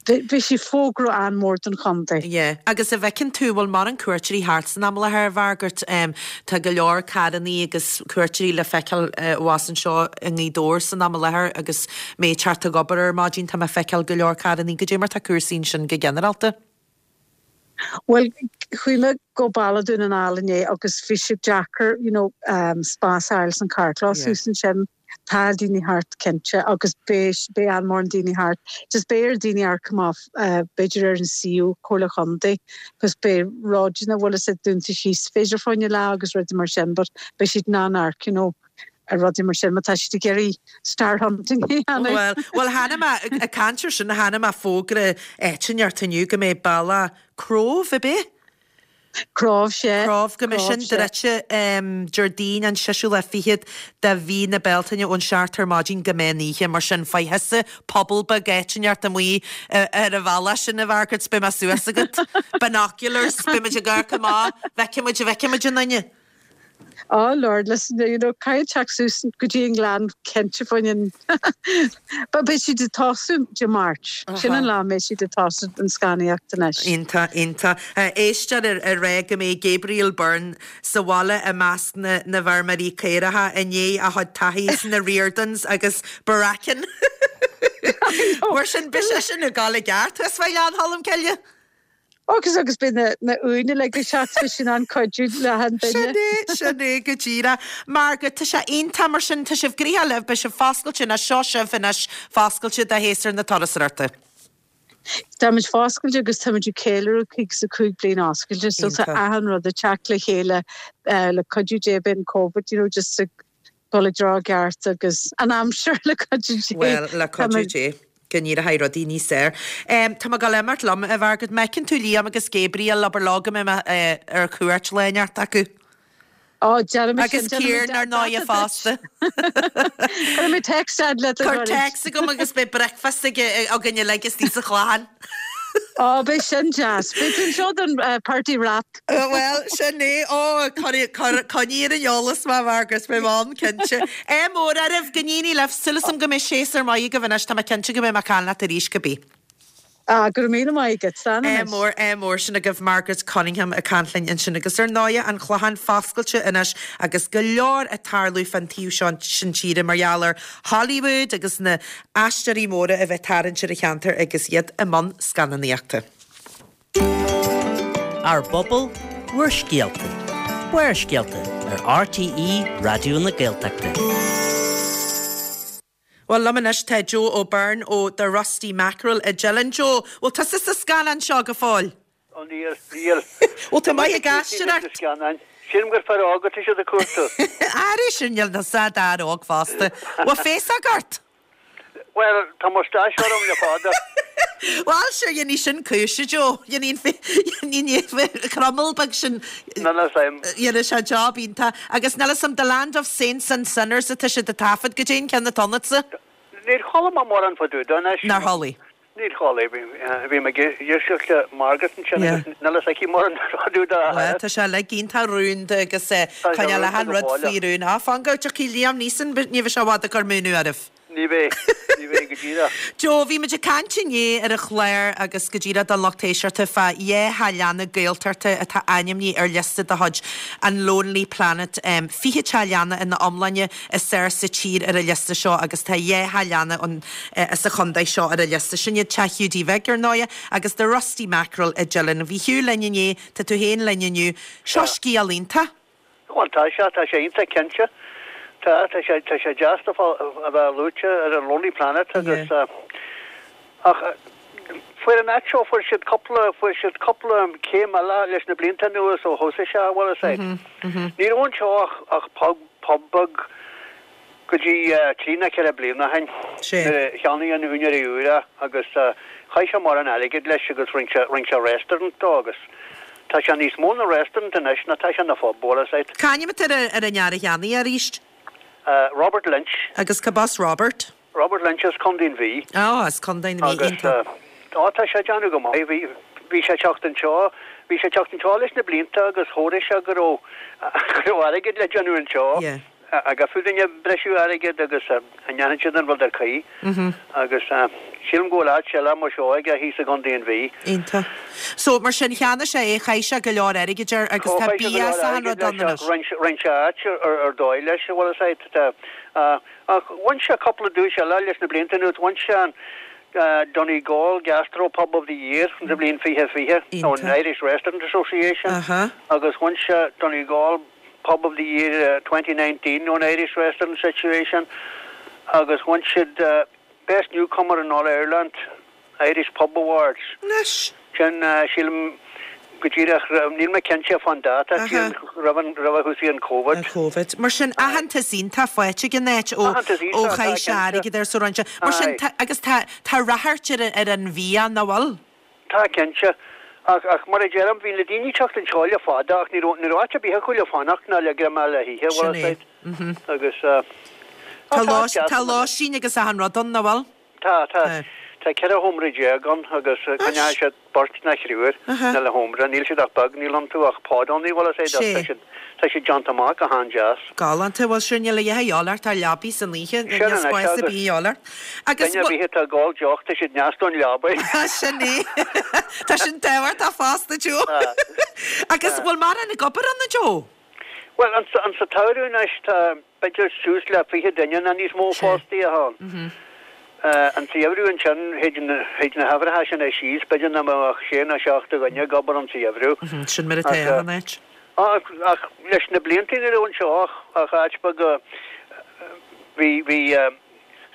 Speaker 5: bhí sé fógra an-mhór don chontae.
Speaker 1: Yeah. Agus a bhfeiceann tú bhfuil mórán cuairteoirí thart san am i láthair Mhargaret um, tá go leor carrannaí agus cuairteoirí le feiceáil uh, abhus anseo i nGaoth Dobhair san am i láthair agus mé ag teacht ag obair ar maidin tá mé ag feiceáil go leor carrannaí goidé mar tá cúrsaí sin go ginearálta.
Speaker 5: Bhuel, chuaigh mé go baile Dún na nGall inné agus bhí sé deacair, you know, um, spás a fháil san carrchlós
Speaker 1: Yeah.
Speaker 5: thuas ansin. Tá daoine thart cinnte agus beidh beidh an-mhórán daoine thart. Just beidh ar daoine amharc amach uh, b'fhéidir ar an suíomh Comhairle Chontae, cos beidh ródanna bhfuil a dúnta síos b'fhéidir fá choinne lá agus rudaí mar sin, but beidh siad in ann amharc, you know, ar rudaí mar sin, má tá siad ag iarraidh star hunting a dhéanamh.
Speaker 1: Well, well chonaic mé ag caint air sin chonaic mé fógra éitinneart inniu go mbeidh bealach Cróibh a bith.
Speaker 5: Cróibh sé.
Speaker 1: Cróibh go mbeidh sin druidte Déardaoin an séú lá fichead de mhí na Bealtaine ón seacht ar maidin go meán oíche mar sin faigh thusa puball beag éitinneart amuigh ar an bhealach sin a Mhargaret beidh mé suas agat. Binoculars beidh muid ag amharc amach bhfeicfimid bhfeicfimid an duine.
Speaker 5: Oh Lord, listen, you know, caithfidh teacht suas go dtí an Gleann cinnte faoin But beidh siad ag tosú Dé Máirt. Sin an lá mbeidh siad ag tosú an scannánaíocht anois.
Speaker 1: Iontach iontach. Éisteoir ar ar rá go mbeidh Gabriel Byrne sa bhaile i measc na na bhfeirmeoirí caorach i ndiaidh a chuid taithí sna Riordans agus Bracken. Mar sin beidh sé sin ag gabháil i gceart thuas fá Ghleann Cholm Cille.
Speaker 5: Agus agus beidh na na uaine le go seach sin an cuidiú le han
Speaker 1: Sin
Speaker 5: duine.
Speaker 1: é sin é go díreach. Margaret tá sé iontach mar sin tá sibh gnoitheach libh beidh sibh foscailte anois seo sibh anois foscailte do shéasúr na turasóireachta.
Speaker 5: Táimid foscailte agus táimid ag ceiliúradh caoga is a cúig bliain oscailte, so tá
Speaker 1: Iontach.
Speaker 5: achan rud ag teacht le chéile uh, le cuidiú Dé beidh an COVID, you know, just ag dul i dtreo ceart agus an aimsir le cuidiú Dé.
Speaker 1: Well le cuidiú Dé. Go n-éireoidh rudaí níos fearr. Um, Tá mé ag gabháil imeacht liom a Mhargaret má fheiceann tú Liam agus Gabriel abair leo go mbeidh mé uh, ar cuairt lá inteacht acu.
Speaker 5: Ó déanfaidh mé
Speaker 1: Agus
Speaker 5: sin, déanfaidh mé
Speaker 1: Ciarán ar ndóigh
Speaker 5: dáta
Speaker 1: fosta.
Speaker 5: Cuirfidh mé text ad le
Speaker 1: Cuir text agam agus beidh breakfast ag againn uilig istigh sa Chlochán.
Speaker 5: Ó beidh sin deas. Beidh sin seo don uh, party wrap.
Speaker 1: Uh, well sin é ó coinnigh ar an eolas mé Margaret beidh mé ann cinnte. É mór arah go níní leh sulasam go mé sé ar maith go bhis tá cinnte go mbeidh mé ag caint leat arís go bí.
Speaker 5: Ah, go raibh míle maith agat Slán
Speaker 1: É
Speaker 5: anois.
Speaker 1: mór é mór sin agaibh Margaret Cunningham ag caint linn ansin agus ar ndóigh an Clochán foscailte anois agus go leor ag tarlú fan taobh seo sin tíre mar gheall ar Hollywood agus na haisteoirí móra a bheith tarraingt ar an cheantar agus iad i mbun scannánaíochta.
Speaker 3: Ár bpobal, bhur scéalta. Barrscéalta ar RTÉ Raidió na Gaeltachta.
Speaker 1: Well liom anois tá Joe O'Byrne ó The Rusty Mackerel i Dillon Joe, Well tá sa scannán seo go fóill.
Speaker 6: Ó níl níl.
Speaker 1: Well tá maith ag aisteoireacht.
Speaker 6: Scannán. Sin gur fear óg atá siad ag cuartú.
Speaker 1: Airí sin níl na sa dar óg fosta. Well féasach ort?
Speaker 6: Well tá moustache orm le fada.
Speaker 1: Well sure dhéanaí sin cúise Joe, dhéanaí cromall beag sin
Speaker 6: Níl sem.
Speaker 1: dhéana sé job iontach agus níl sam the land of saints and sinners atá siad ag taifead go dtéin ceann na tonatsa?
Speaker 6: Níor chuala mé mórán fá dtaobh de
Speaker 1: Nár chuala.
Speaker 6: Níor chuala bhí me éisteacht le Margaret sin
Speaker 1: Yeah.
Speaker 6: níl aici mórán fá dtaobh de.
Speaker 1: Well, tá sé le iontach rúnda agus
Speaker 6: sé
Speaker 1: coinne le
Speaker 6: rúnda
Speaker 1: han
Speaker 6: go
Speaker 1: rud
Speaker 6: fóill.
Speaker 1: faoi rún á fan go dtiocfaidh Liam Neeson ní bheidh sé i bhfad ag cur múineadh oraibh.
Speaker 6: Ní bheidh ní bheidh go díreach.
Speaker 1: Joe, bhí muid ag caint inné ar an chlár agus go díreach don lucht éisteachta fá dhá theach leanna Gaeltachta atá ainmnithe ar liosta de chuid an Lonely Planet um, fiche teach leanna ina iomláine is fearr sa tír ar an liosta seo agus tá dhá theach leanna an uh, sa chontae seo ar an liosta sin iad Teach Hiúdaí Bhig ar ndóigh agus The Rusty Mackerel i Dillon. Bhí Hugh linn inné tá tú féin linn inniu. Seo scéal iontach.
Speaker 6: Well tá sé tá sé iontach cinnte. Tá tá sé tá sé deas a a bheith luaite ar an Lonely Planet agus uh, ach uh, fuair an áit seo fuair siad cúpla fuair siad cúpla céim eile leis na blianta anuas ó thosaigh sé bhfuil a fhios agat. Ní raibh anseo ach ach pub pub beag go dtí uh, trí nó ceithre bliana ó shin.
Speaker 1: Sé.
Speaker 6: Nuair a cheannaigh an úinéir úr é agus uh, chaith sé mórán airgid leis agus rinne sé rinne sé restaurant dó agus tá sé níos mó ná restaurant anois ná tá sé ina phub bhfuil a fhios agat.
Speaker 1: C'ainm atá ar ar an fhear a cheannaigh arís
Speaker 6: Uh, Robert Lynch
Speaker 1: agus cad as Robert?
Speaker 6: Robert Lynch as Contae an Mhí
Speaker 1: Á as Contae na Mí
Speaker 6: agus
Speaker 1: iontach.
Speaker 6: uh, tá sé déanamh go maith bhí bhí sé teacht anseo bhí sé teacht anseo leis na blianta agus chonaic sé go raibh go raibh airgead le déanamh anseo
Speaker 1: Yeah.
Speaker 6: agus fuair breisiú airgead agus an ndéanann siad an rud ar chaoi agus uh, sílim go bhfuil áit eile mar seo aige thíos i gContae an Mhí.
Speaker 1: Iontach. So mar sin cheannaigh sé é chaith sé go leor airgid air agus tá bia sa an rud ann anois.
Speaker 6: Rinne sé áit ar ar dóigh leis bhfuil a fhios agat ach bhain sé cúpla duais eile leis na blianta anuas bhain sé an Donegal Gastro Pub of the Year sa bhliain fiche fiche ón Irish Restaurant Association agus bhain sé Donegal Pub of the Year twenty nineteen ón Irish Restaurant Association agus bhain siad Best Newcomer in All Ireland Irish Pub Awards.
Speaker 1: Anois!
Speaker 6: Sin, sílim, go díreach, níl mé cinnte fán dáta, sílim roimh an, roimh a thosaigh an Covid.
Speaker 1: An Covid. Mar sin, aitheantas iontach faighte ag an áit ó, ó chaith sé airgead ar so roinnt. Mar sin, tá, agus tá, tá ráchairt ar, ar an bhia, nach bhfuil?
Speaker 6: Tá, cinnte. Ach, ach mar a deirim, bhí na daoine ag teacht anseo le fada ach ní raibh, ní raibh áit ar bith acu le fanacht ná le greamá le hithe, bhfuil
Speaker 1: Sin é.
Speaker 6: a fhios agat. Agus, eh,
Speaker 1: Tá
Speaker 6: tá
Speaker 1: lóis,
Speaker 6: deas
Speaker 1: tá lóistín agus achan rud ann, nach bhfuil?
Speaker 6: Tá, tá. Tá ceithre sheomra déag ann agus coinneoidh siad beirt nó triúr ina le sheomra. Níl siad ach beag, níl iontu ach podannaí, bhfuil a fhios agat, tá siad, tá siad déanta amach go han-deas.
Speaker 1: Galánta, bhuel sure níl a dhath a dhíobháil ort ach leabaidh san oíche,
Speaker 6: Sin
Speaker 1: níl
Speaker 6: anois
Speaker 1: spás ar
Speaker 6: agus
Speaker 1: bith a dhíobháil ort. Agus
Speaker 6: duine ar bith atá ag ól deoch, tá siad neas don leabaidh.
Speaker 1: Sin é. Tá sin tábhachtach fosta, Joe. Agus bhfuil mórán ag obair ann, a Joe?
Speaker 6: Bhuel, an sa tsamhradh anois tá b'fhéidir suas le fiche duine nó níos mó fostaithe ann. An tsamhradh ansin, théid na huimhreacha sin síos, b'fhéidir nach mbeadh ach sé nó seacht de dhuine ag obair an tsamhradh.
Speaker 1: Sin mar atá an áit.
Speaker 6: Ach leis na blianta ní raibh anseo ach áit beag a bhí, bhí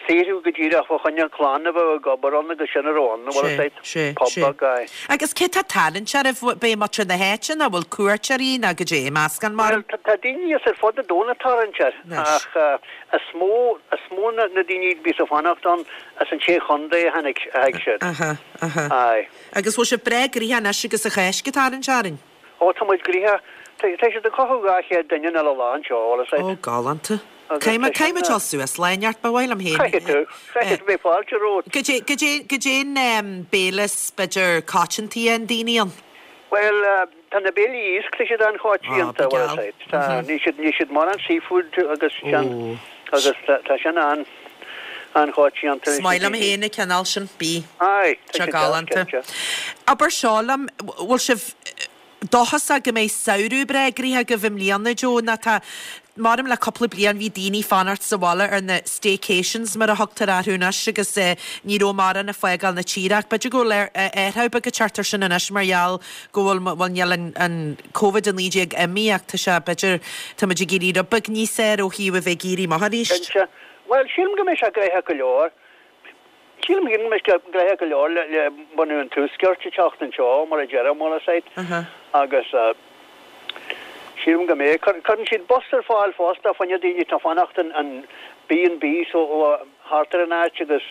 Speaker 6: saothrú go díreach fá choinne clann a bheadh ag obair ann agus sin a raibh ann, bhfuil a
Speaker 1: Sé,
Speaker 6: fhios agat,
Speaker 1: sé,
Speaker 6: pub
Speaker 1: sé.
Speaker 6: beag, aye.
Speaker 1: Agus cé tá ag tarraingt oraibh, b'é muintir na háite nó bhfuil cuairteoirí nó goidé, meascán mar?
Speaker 6: Bhuel, tá daoine as ar fud an domhain ag tarraingt air,
Speaker 1: Anois.
Speaker 6: ach is mó, is mó na daoine a bhíos ag fanacht ann as an Sé Chontae a tháinig, a thig siad.
Speaker 1: Aha, aha.
Speaker 6: Aye.
Speaker 1: Agus bhfuil sibh breá gnoitheach anois agus an Cháisc ag tarraingt orainn?
Speaker 6: Ó, tá muid gnoitheach. Tá, tá siad ag cothú dhá chéad duine in uile lá anseo, bhfuil a fhios agat.
Speaker 1: Ó, galánta.
Speaker 6: Agus
Speaker 1: Caithfidh mé,
Speaker 6: tá
Speaker 1: caithfidh
Speaker 6: sin,
Speaker 1: mé dul suas lá inteacht, ba mhaith liom féin.
Speaker 6: Caithfidh tú, caithfidh tú, beidh fáilte romhat.
Speaker 1: Goidé, goidé, goidé an em, béile is b'fhéidir coitianta an daoine ann?
Speaker 6: Bhuel, tá na béilí iasc, tá siad
Speaker 1: Á,
Speaker 6: an-choitianta,
Speaker 1: ba
Speaker 6: bhfuil a
Speaker 1: gheal.
Speaker 6: fhios agat. Tá, níl siad, níl siad mórán seafood agus sin,
Speaker 1: Ó.
Speaker 6: agus tá, tá sin an, an-choitianta
Speaker 1: Is
Speaker 6: leis na
Speaker 1: maith liom
Speaker 6: daoine.
Speaker 1: féin an cineál sin, bí.
Speaker 6: Aye, tá
Speaker 1: Tá
Speaker 6: siad deas,
Speaker 1: galánta.
Speaker 6: cinnte.
Speaker 1: Abair seo liom, bhfuil sibh dóchasach go mbeidh samhradh breá gnoitheach agaibh i mbliana, Joe, nó tá, maram le cúpla bliain bhí daoine fanacht sa bhaile ar na staycations mar a thugtar orthu anois agus eh, ní raibh mórán ag fágáil na tíre ach b'fhéidir go bhfuil athrú beag ag teacht air sin anois mar gheall go bhfuil bhuel níl an, an Covid a naoi déag imithe ach tá sé b'fhéidir tá muid ag éirí rud beag níos saoire ó thaobh a bheith ag éirí amach arís.
Speaker 6: Cinnte. Bhuel, sílim go mbeidh sé gnoitheach go leor. Sílim go mbeidh sé gnoitheach go leor le, le bunú an tuaiscirt ag teacht anseo mar a deirim, bhfuil a fhios agat. Agus eh, sílim go mbeidh. Cur, cuireann siad bus ar fáil fosta fá choinne daoine atá fanacht in, in B and B so ó, thart ar an áit agus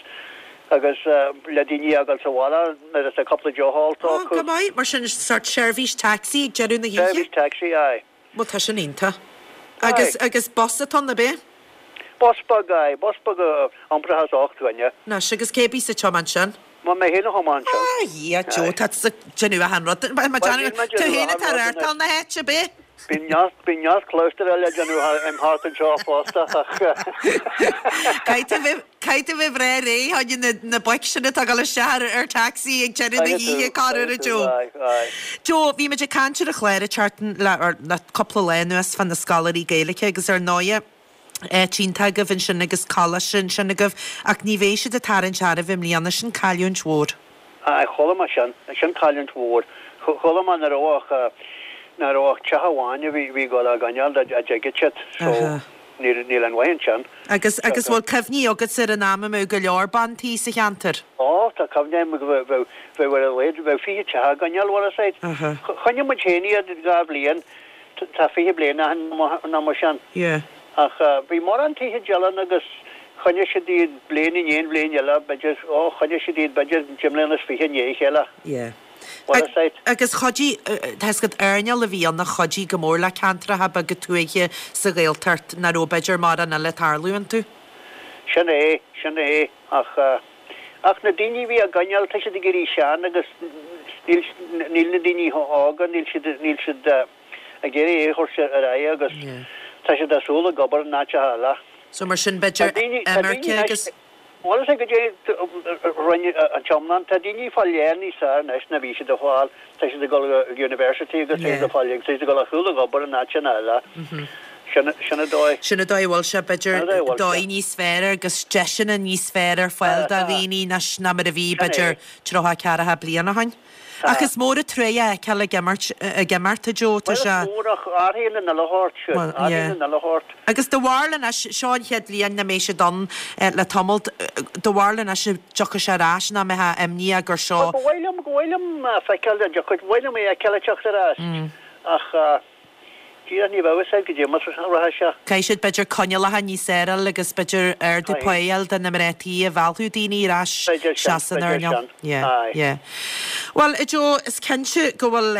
Speaker 6: agus eh, le daoine a fhágáil sa bhaile nuair atá cúpla deoch ólta
Speaker 1: Ó,
Speaker 6: acu.
Speaker 1: go maith, mar sin sort seirbhís taxi ag deireadh na hoíche?
Speaker 6: Seirbhís taxi, aye.
Speaker 1: Bhuel, tá sin iontach. Agus,
Speaker 6: Aye.
Speaker 1: agus bus atá ann, ab ea?
Speaker 6: Bus beag, aye, bus beag a iomprachas ocht dhuine.
Speaker 1: Anois, agus cé bíos ag tiomáint sin?
Speaker 6: Má mé féin a thiomáin sin.
Speaker 1: Ah, Dhia, Joe,
Speaker 6: Aye.
Speaker 1: tá tusa ag déanamh achan rud. Ma- ma-
Speaker 6: Bhuel, níl mé
Speaker 1: Tú
Speaker 6: déanamh
Speaker 1: féin
Speaker 6: achan
Speaker 1: atá
Speaker 6: rud
Speaker 1: ar
Speaker 6: anois.
Speaker 1: na háite, ab ea?
Speaker 6: Bíonn neart, bíonn neart clabhsúir eile ag déanamh thar- im thart anseo fosta, ach
Speaker 1: Caithfidh tú bheith- caithfidh tú bheith breá réidh, tháinig na, na boic sin atá ag dul isteach ar, ar taxi ag deireadh na
Speaker 6: Caithfidh tú,
Speaker 1: hoíche, corruair,
Speaker 6: caithfidh tú,
Speaker 1: Joe.
Speaker 6: aye, aye.
Speaker 1: Joe, bhí muid ag caint ar an chlár an tseachtain le, ar, le cúpla lá anuas fá na scoláirí Gaeilge agus ar ndóighe áit iontach agaibh ansin agus coláiste ansin agaibh, ach ní bheidh siad ag tarraingt oraibh i mbliana, sin cailliúint mhór.
Speaker 6: Aye, chuala mé sin, sin cailliúint mhór. Chuala mé nach raibh ach, nach raibh ach teach amháin a bhí, bhí ag dul á gcoinneáil dá dtuigfeadh siad, so
Speaker 1: Aha.
Speaker 6: níl, níl aon mhaith ansin.
Speaker 1: Agus, agus bhfuil cuimhní agat ar an am a mbeadh go leor bean tí sa cheantar?
Speaker 6: Ó, tá cuimhne agam go bheadh, bheadh, bheadh ar a laghad, bheadh fiche teach á gcoinneáil, bhfuil a fhios agat.
Speaker 1: Aha.
Speaker 6: Choinnigh muid féin iad dhá bhliain, tá fiche bliain ó shin nó mar sin.
Speaker 1: Yeah.
Speaker 6: Ach bhí mórán tithe eile agus choinnigh siad iad bliain i ndiaidh bliain eile, b'fhéidir, ó, choinnigh siad iad b'fhéidir deich mbliana is fiche i ndiaidh a chéile.
Speaker 1: Yeah.
Speaker 6: Bhfuil a fhios agat.
Speaker 1: Agus chuidigh, tá a fhios agat, earnáil a bhí ann a chuidigh go mór le ceantracha beaga tuaithe sa Ghaeltacht nach raibh b'fhéidir mórán eile ag tarlú iontu.
Speaker 6: Sin é, sin é, ach, ach na daoine a bhí á gcoinneáil, tá siad ag éirí sean agus níl, níl na daoine óga, níl siad, níl siad ag iarraidh é a thabhairt ar aghaidh agus
Speaker 1: Yeah.
Speaker 6: tá siad ag súil ag obair in áiteacha eile.
Speaker 1: So mar sin b'fhéidir
Speaker 6: Tá daoine, tá daoine
Speaker 1: imirce
Speaker 6: anois,
Speaker 1: agus
Speaker 6: bhfuil a fhios agat goidé rinne an tiomlán, tá daoine ag fáil léann níos fearr anois ná bhí siad ag fáil, tá siad ag dul go university agus tá siad
Speaker 1: Yeah.
Speaker 6: ag fáil, tá siad ag dul ag súil ag obair in áiteanna eile. Sin sin an dóigh.
Speaker 1: Sin an dóigh a bhfuil sé, b'fhéidir
Speaker 6: Sin an dóigh a bhfuil sé.
Speaker 1: dóigh níos fearr agus deiseanna níos fearr ar fáil do
Speaker 6: Tá.
Speaker 1: dhaoine ná ná mar a bhí
Speaker 6: Sin é.
Speaker 1: b'fhéidir tríocha ceathracha bliain ó shin.
Speaker 6: Tá.
Speaker 1: Ach is mór an truaighe a fheiceáil ag imirt ag imeacht a Joe, tá
Speaker 6: Bhuel is
Speaker 1: sé.
Speaker 6: mór ach athraíonn an uile shórt sin,
Speaker 1: Well,
Speaker 6: athraíonn
Speaker 1: yeah.
Speaker 6: an uile shórt.
Speaker 1: Agus do bharúil anois, seo an chéad bhliain nach mbeidh siad ann le tamall, do bharúil anois an dtiocfaidh sé ar ais nach mbeifeá imníoch gur seo.
Speaker 6: Bhuel, ba mhaith liom, go mhaith liom feiceáil an dtiocfaidh, ba mhaith liom é a fheiceáil ag teacht ar ais. Ach díreach ní bheadh fhios a'd goidé mar a rachaidh sé.
Speaker 1: Caithfidh siad b'fhéidir coinníollacha níos fearr a fháil agus b'fhéidir ardú
Speaker 6: Caithfidh.
Speaker 1: pá a fháil do na mná tí a mheallfadh daoine ar ais
Speaker 6: B'fhéidir sin,
Speaker 1: isteach san
Speaker 6: b'fhéidir
Speaker 1: earnáil.
Speaker 6: sin.
Speaker 1: Yeah,
Speaker 6: Aye.
Speaker 1: yeah. Bhuel, a Joe, is cinnte go bhfuil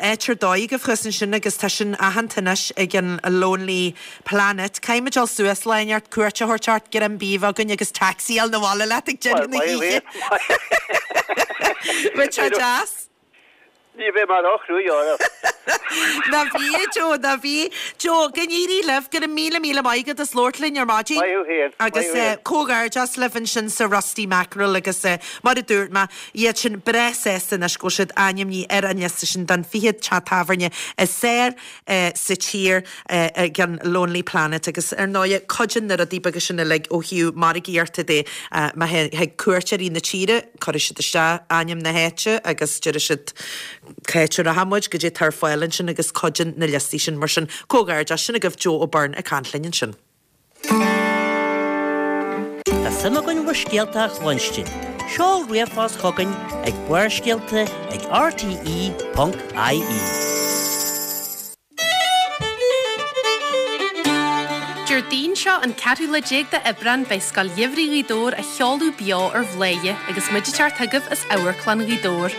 Speaker 1: áit ar dóigh agaibh thuas ansin agus tá sin aitheanta anois ag an Lonely Planet. Caithfimid dul suas lá inteacht, cuairt a thabhairt ort, greim bídh a bheith againn agus taxi a fháil 'na bhaile leat ag
Speaker 6: Bhuel,
Speaker 1: deireadh na
Speaker 6: maith
Speaker 1: hoíche.
Speaker 6: thú.
Speaker 1: Bheadh sé deas.
Speaker 6: Ní bheidh mé róchruaidh oraibh.
Speaker 1: Ná bí, a Joe, ná bí. Joe, go n-éirí libh, go raibh míle míle maith agat as labhairt linn ar maidin.
Speaker 6: Maith thú féin, maith
Speaker 1: Agus
Speaker 6: thú féin.
Speaker 1: comhghairdeas libh ansin sa Rusty Mackerel agus mar a dúirt mé, iad sin breá sásta anois go bhfuil siad ainmnithe ar an liosta sin don fiche teach tábhairne is fearr sa tír ag an Lonely Planet agus ar ndóigh cuidíonn na rudaí beaga sin uilig ó thaobh margaíochta de má thig cuairteoirí na tíre, cuirfidh siad isteach ainm na háite agus déarfaidh siad cá háit a rachaidh muid, goidé atá ar fáil ansin agus cuidíonn na liostaí sin mar sin comhghairdeas sin agaibh Joe O'Byrne ag caint linn ansin.
Speaker 3: Tá suim againn bhur scéalta a chluinstin. Seol ríomhphost chugainn ag Barrscéalta ag rte ponc ie.
Speaker 7: Déardaoin seo an ceathrú lá déag d'Aibreán beidh Scoil Gheimhridh Ghaoth Dobhair á sheoladh beo ar Bhladhaire agus muid ag teacht chugaibh as Amharclann Ghaoth Dobhair.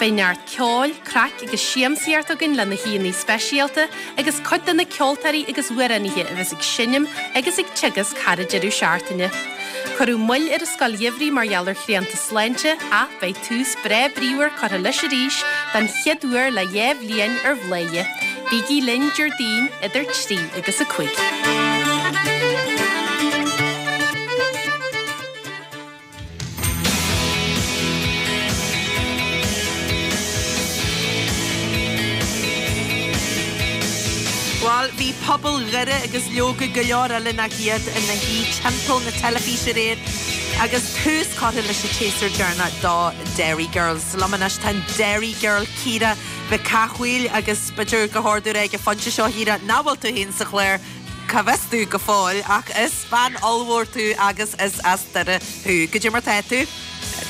Speaker 7: Beidh neart ceoil, craic agus siamsaíocht againn le na haíonna speisialta agus cuid de na ceoltóirí agus amhránaithe a bheas ag seinm agus ag teagasc thar an deireadh seachtaine. Cuireadh moill ar an Scoil Gheimhridh mar gheall ar shrianta sláinte ach beidh tús breá bríomhar curtha leis arís den chéad uair le dhá bhliain ar Bhladhaire. Bígí linn Déardaoin idir trí agus a cúig.
Speaker 1: Bhuel, bhí pobal Dhoire agus leoga go leor eile nach iad ina shuí timpeall na teilifíse aréir agus tús curtha leis an tséasúr deireanach do Derry Girls. Liom anois tá an Derry Girl Ciara Mhic Cathmhaoil agus b'fhéidir go hardú ag an phointe seo Chiara nach bhfuil tú féin sa chlár cá bhfios tú go fóill ach is bean ollmhór tú agus is as Doire thú. Goidé mar tá tú?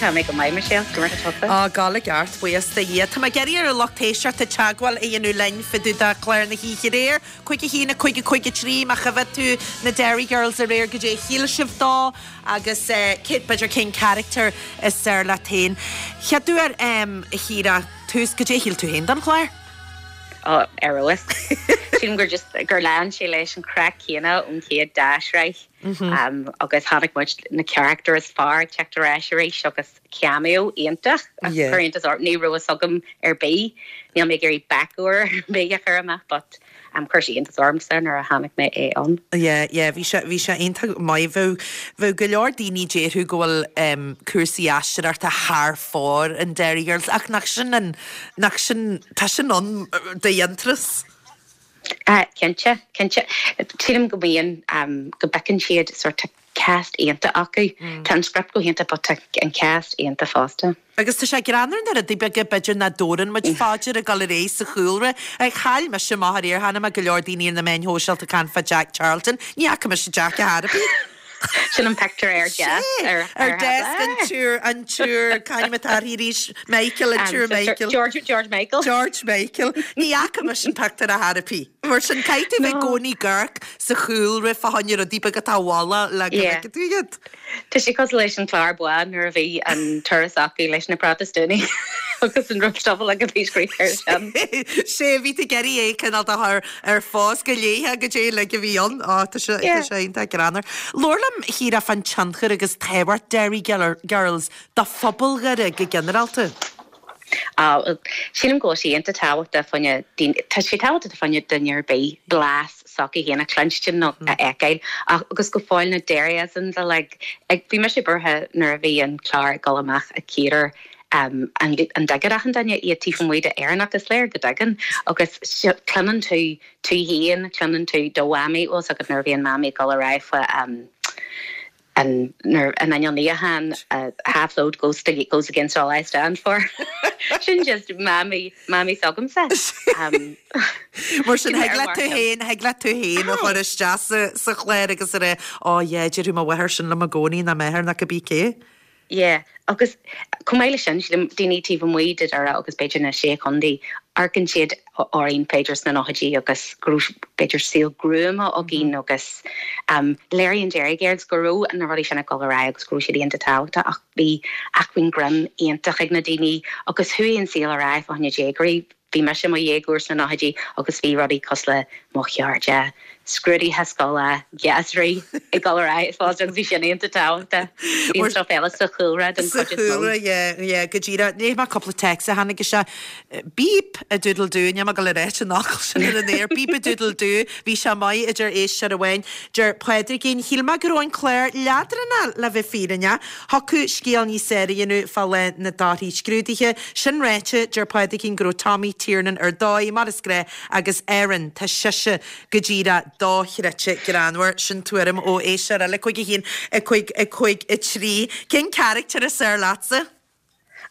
Speaker 8: Tá mé go maith Michelle, go mar tá
Speaker 1: Á gal i gceart buíochas do Dhia. Tá mé ag iarraidh ar an lucht éisteachta teagmháil a dhéanamh linn fá dtaobh de chlár na hoíche aréir, cúig a haon a cúig a cúig a trí má chonaic tú na Derry Girls aréir goidé a shíl sibh dó agus b'fhéidir cén character is fearr leat féin. Chéad uair a Chiara tús goidé a shíl tú féin don chlár?
Speaker 8: Ó ar fheabhas. Sílim gur just gur lean sé leis an craic céanna ón chéad dá shraith um, agus tháinig muid na character is fearr ag teacht ar ais arís agus cameo iontach
Speaker 1: Yeah.
Speaker 8: chuir iontas orm ní raibh fhios agam ar bith níl mé ag iarraidh backdoor bith a chur amach but um, chuir sé iontas ormsa nuair a chonaic mé é ann.
Speaker 1: Yeah, yeah, bhí sé bhí sé iontach maith bheadh bheadh go leor daoine déarfadh go bhfuil um, cúrsaí aisteoireachta thar fóir in Derry Girls ach nach sin an nach sin tá sin ann de dhéantús.
Speaker 8: Uh, cinnte cinnte Sílim go mbíonn um, go bhfeiceann siad sort of cast iontach acu Tá an script go hiontach but tá an cast iontach fosta.
Speaker 1: Agus tá sé greannmhar na rudaí beaga b'fhéidir nach dtabharann muid faoi deara ag dul ar aghaidh sa chúlra. Ag chaill mise amach aréir chonaic mé go leor daoine ar na meáin shóisialta ag caint fá Jack Charlton. Ní fhaca mise Jack ar bith.
Speaker 8: Sin an picture ar desk ar
Speaker 1: Ar desk an tSiúr an tSiúr c'ainm atá arís Michael an tSiúr Michael.
Speaker 8: George George Michael.
Speaker 1: George Michael. Ní fhaca mise an picture ar bith. Mar sin caithfidh tú bheith i gcónaí ag amharc sa chúlra fá choinne rudaí beaga atá bhalla le go
Speaker 8: Yeah.
Speaker 1: bhfeicfidh tú iad.
Speaker 8: Tá sé cosúil leis an chlár buan nuair a bhí an turas acu leis na Protastúnaigh agus an rubstobble agus bhí scríofa air sin.
Speaker 1: Sé bhí tú ag iarraidh é cineál a chur ar fás go léithe go dé le go bhí an á tá sé
Speaker 8: Yeah.
Speaker 1: tá sé iontach greannmhar. Labhair liom a Chiara fán tionchar agus tábhacht Derry Girls do phobal Dhoire go ginearálta.
Speaker 8: Uh, Sílim go bhfuil sé iontach tábhachtach fá choinne tá sé tábhachtach fá choinne duine ar bith blas s'acu féin a chluinstin nó a fheiceáil ach agus go fóill na Derryisms a like ag bhí mise buartha nuair a bhí an clár ag dul amach a cíar um, an, an dtuigeann achan duine iad taobh amuigh d'Éireannach is léir go dtuigeann agus cluineann tú tú féin cluineann tú do mhamaí os agus nuair bhíonn mamaí ag dul ar aghaidh fa um, an nuair an inneall níocháin uh, half load goes to goes against all I stand for. Sin just mamaí mamaí s'agamsa. Um,
Speaker 1: Mar sin thig leat tú féin thig leat tú féin a chur isteach sa sa chlár agus a rá á yeah deir mo mháthair sin liom i gcónaí ná m'athair ná cibé cé.
Speaker 8: Yeah, agus chomh maith leis sin sílim daoine taobh amuigh de Dhoire agus b'fhéidir na sé chontae amharcann siad orainn b'fhéidir sna nóchaidí agus go raibh b'fhéidir saol gruama againn agus um, léiríonn Derry Girls go raibh na rudaí sin ag dul ar aghaidh agus go raibh siad iontach tábhachtach ach bhí acmhainn grinn iontach ag na daoine agus chuaigh an saol ar aghaidh fá choinne déagóirí bhí mise i mo dhéagóir sna nóchaidí agus bhí rudaí cosúil le mo chairde, scrúduithe scoile, gheasraí ag dul ar aghaidh fós agus bhí sin iontach tábhachtach. Bhí an stuff eile sa chúlra den
Speaker 1: Sa
Speaker 8: chuid is mó.
Speaker 1: chúlra, yeah, yeah, go díreach. Léigh mé cúpla text a tháinig isteach. Beep a doodle doo, níl mé ag gabháil a ráit an fhocal sin ar an aer. Beep a doodle doo, bhí sé maith a deir éisteoir amháin. Deir Pádraigín, shíl mé go raibh an clár leadránach le bheith fírinneach. Thiocfadh scéal níos fearr a dhéanamh fá lá na dtorthaí scrúdaithe. Sin ráite, deir Pádraigín go raibh Tommy Tiernan ar dóigh mar is gnách agus Erin tá sise go díreach dochreidte greannmhar sin tuairim ó éisteoir eile cúig a haon a cúig a cúig a trí. Cén charachtar is fearr leatsa?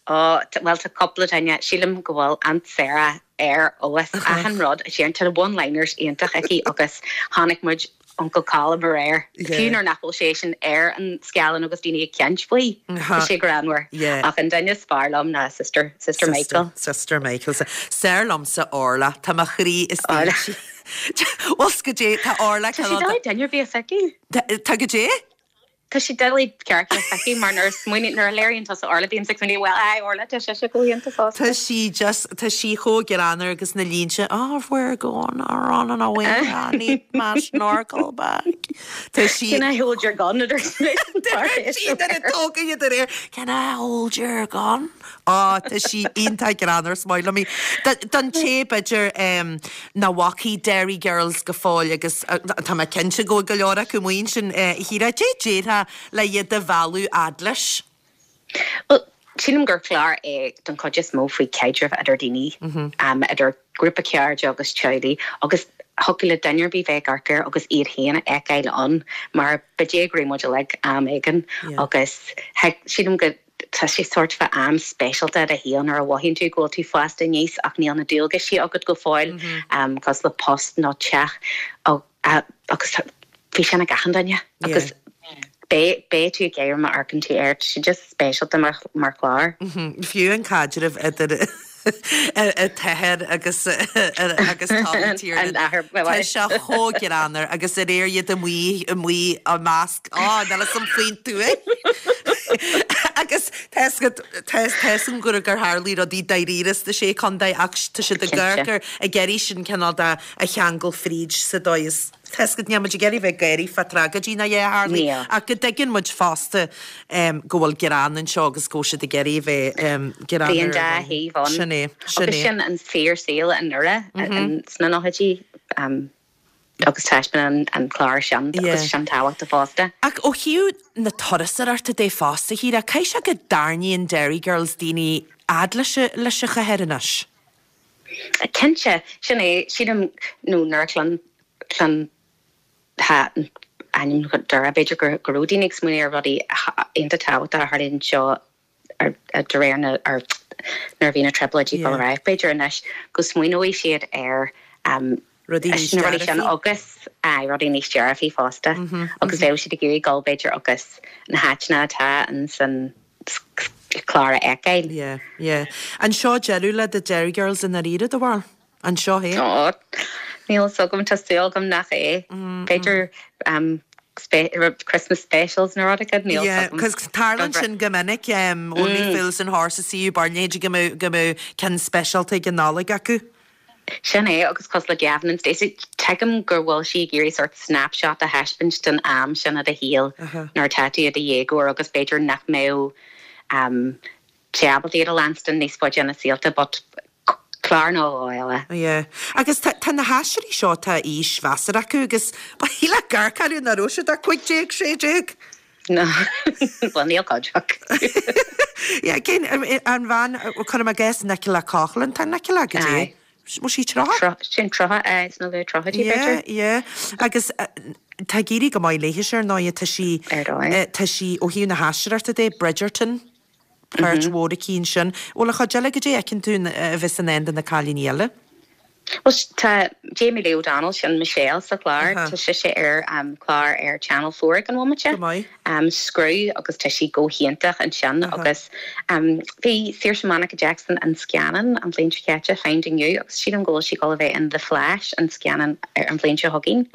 Speaker 8: Ó, well tá cúpla duine sílim go bhfuil Aunt Sarah ar fheabhas achan rud a deireann tá one-liners iontach aici agus chonaic muid Uncle Colm aréir. Fiú nuair nach bhfuil sé sin ar an scáileán agus daoine ag caint faoi
Speaker 1: Aha.
Speaker 8: Tá sé greannmhar.
Speaker 1: Yeah.
Speaker 8: Ach an duine is fearr liom ná sister sister Michael.
Speaker 1: Sister Michael. Is fearr liomsa Orla Tá mo chroí is
Speaker 8: Orla.
Speaker 1: Well go dé tá Orla
Speaker 8: Tá sé doiligh duine ar bith a phiocadh.
Speaker 1: Tá go dé?
Speaker 8: Tá sé doiligh character a phiocadh mar nuair smaoiníonn nuair a léiríonn tusa Orla bím ag smaoineamh well ai Orla tá sé go hiontach fosta.
Speaker 1: Tá sí just tá sí chomh greannmhar agus na línte oh we're going on an away I need my snorkel bag. Tá sí
Speaker 8: Can I hold your gun ar
Speaker 1: sí tóga de réir Can I hold your gun? Á tá sí iontach greannmhar is maith liom í. Don té b'fhéidir nach bhfaca Derry Girls go fóill agus uh, tá mé cinnte go go leor acu muin sin híra dé déarfá le iad a mhealladh fhad leis.
Speaker 8: Well, sílim gur clár é don chuid is mó faoi chaidreamh idir daoine um, idir grúpa cairde agus teaghlaigh agus thiocfadh le duine ar bith bheith ag amharc air agus iad féin a fheiceáil ann mar ba déagóirí muid uilig am éigin
Speaker 1: Yeah.
Speaker 8: agus sílim go tá sé sort of am speisialta i do shaol nuair a mhothaíonn tú go bhfuil tú fásta aníos ach níl na dualgaisí agat go fóill um, cos le post nó teach agus bhí sin ag achan duine agus beidh beidh tú ag gáire má amharcann tú air sé just speisialta mar mar chlár.
Speaker 1: Fiú an caidreamh idir an t-athair agus agus Tommy Tiernan.
Speaker 8: An athair,
Speaker 1: Tá sé chomh greannmhar agus aréir iad amuigh amuigh a measc á ná sam faoin tuath. Agus Tá gur gur tharla rudaí dáiríre sna sé chontae ach tá siad ag
Speaker 8: Cinnte.
Speaker 1: gur ag iarraidh sin cineál de a cheangal fríd sa dóigh is Tá níl muid ag iarraidh bheith ag gáire fá tragóidí ná a tharla
Speaker 8: Níl.
Speaker 1: ach go dtuigeann muid fosta um, go bhfuil greann anseo agus go bhfuil siad ag iarraidh bheith um, greann
Speaker 8: Bhí an dá thaobh ann.
Speaker 1: Sin é sin
Speaker 8: Agus
Speaker 1: é.
Speaker 8: sin an fíor saol i nDoire sna nóchaidí um, agus taispeánann an clár sin
Speaker 1: Yeah.
Speaker 8: agus sin tábhachtach fosta.
Speaker 1: Ach ó thaobh na turasóireachta de fosta híra, caithfidh sé go dtarraingíonn Derry Girls daoine fhad leis leis an chathair anois.
Speaker 8: Cinnte sin é sílim nó nuair cluin cluin ha ainm Doire b'fhéidir gur go raibh daoine ag smaoineamh ar rudaí iontach tábhachtach a tharlaíonn seo ar ar de réir na ar nuair a bhí na trioblóidí
Speaker 1: Yeah.
Speaker 8: dul ar aghaidh. B'fhéidir anois go smaoineoidh siad ar um,
Speaker 1: Rudaí níos
Speaker 8: na rudaí sin
Speaker 1: dearfaí.
Speaker 8: agus ai rudaí níos dearfaí fosta agus bheadh siad ag iarraidh dul b'fhéidir agus na háiteanna atá an san clár a fheiceáil.
Speaker 1: Yeah, yeah. An seo deireadh le the Derry Girls in dáiríre do bharúil? An seo é?
Speaker 8: Ó, Níl fhios agam tá súil agam nach é. B'fhéidir um, spe Christmas specials na rud níl
Speaker 1: Yeah, cos tarlaíonn sin go minic um, Only Fools and Horses see barnéide go mbeadh go mbeadh ceann speisialta ag an Nollaig acu.
Speaker 8: Sin é agus cos le Gavin and Stacey tuigim gur bhfuil sí ag iarraidh sort snapshot a thaispeáint den am sin i do shaol nuair atá tú i do dhéagóir agus b'fhéidir nach mbeadh um, ábalta iad a leanstan níos faide ina saolta, but clár nó eile.
Speaker 1: Yeah. Agus tá tá na haisteoirí seo tá aois mheasartha acu agus ba le garcarú na raibh siad ach cúig déag sé déag.
Speaker 8: No, well níl cuid acu.
Speaker 1: Yeah, cén an bhean cuirim i gcás Nicola Coughlan, tá Nicola go dtí?
Speaker 8: Aye.
Speaker 1: Bhfuil sí tríocha?
Speaker 8: Sin tríocha sna luath tríochaidí
Speaker 1: Yeah,
Speaker 8: b'fhéidir.
Speaker 1: yeah. Agus tá ag éirí go maith léi ar ndóigh tá sí
Speaker 8: Ar dóigh.
Speaker 1: tá sí ó thaobh na haisteoireachta de Bridgerton. Páirt mhór aici ansin. Bhfuil a chuid eile go dtí fheiceann tú a bheith san end na cailíní eile?
Speaker 8: Well tá Jamie Lee O'Donnell sin Michelle sa chlár
Speaker 1: Aha.
Speaker 8: tá sise ar um, clár ar Channel Four ag an bhomaite.
Speaker 1: Go maith.
Speaker 8: Um, Screw agus tá sí go hiontach ansin agus um, bhí Saoirse Monica Jackson an scannán an bhliain seo caite Finding You agus sí an ggóil sí go bheith in The Flash an scannán ar an bhliain seo chugainn.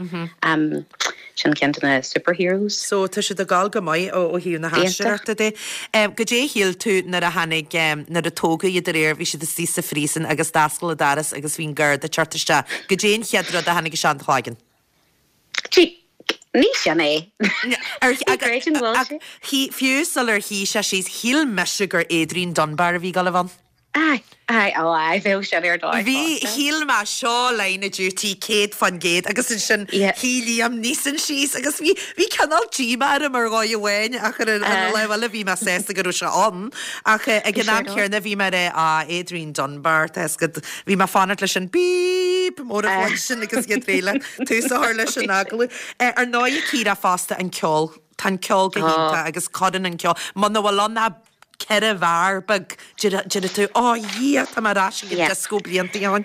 Speaker 8: Um, sin ceann de na superheroes.
Speaker 1: So tá siad ag gabháil go maith ó ó thaobh na haisteoireachta de. Um, go dé shíl tú nuair a tháinig um, nuair a tógadh iad aréir bhí siad istigh sa phríosún agus d'oscail an doras agus bhí an garda ag teacht isteach. Go dé an chéad rud a tháinig isteach i do chloigeann.
Speaker 8: Tí ní sin é.
Speaker 1: Ar
Speaker 8: Ní creidim go bhfuil sé.
Speaker 1: Fiú sular shuigh sé síos shíl mise gur Adrian Dunbar a bhí ag gabháil a bheith ann.
Speaker 8: Ai, ai, ó ai, bheadh sin ar dóigh.
Speaker 1: Bhí shíl mé seo Line of Duty céad faoin gcéad agus ansin
Speaker 8: Yeah.
Speaker 1: shuigh Liam Neeson síos agus bhí bhí cineál díomá orm ar dhóigh amháin ach ar an
Speaker 8: Uh.
Speaker 1: leibhéal bhí mé sásta go raibh sé ann ach eh, ag an am
Speaker 8: Bhí sé
Speaker 1: céanna bhí mé á Adrian Dunbar tá go bhí mé fanacht leis an bíp mór
Speaker 8: Uh.
Speaker 1: sin agus iad réile tús a chur leis an agallamh. Eh, Ar ndóigh Ciara fosta an ceol Tá an ceol go hiontach agus cuireann an ceol Muna bhfuil ann ach ceithre bharr beag deir tú á dhia tá mar ais ag
Speaker 8: Yeah.
Speaker 1: disco blianta ann.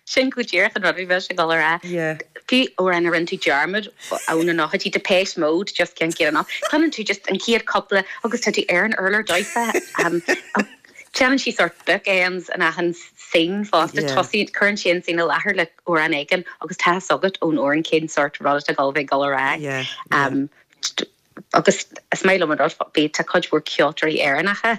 Speaker 8: Sin go díreach an rud bhí sé ag gabháil a rá.
Speaker 1: Yeah.
Speaker 8: Fiú amhrán a rinne tú dearmad ann an nóchaidí Depeche Mode just cén céad ná. Cluineann tú just an chéad cúpla agus tá tú ar an urlár daofa. Um, Déanann sí sort bookends an achan scene fosta
Speaker 1: Yeah.
Speaker 8: tosaí cuireann sí an scene i láthair le amhrán éigin agus tá agat ón amhrán cén sort rud atá ag gabháil a rá.
Speaker 1: Yeah,
Speaker 8: Um, agus is maith liom an rud bí tá cuid mhór ceoltóirí Éireannacha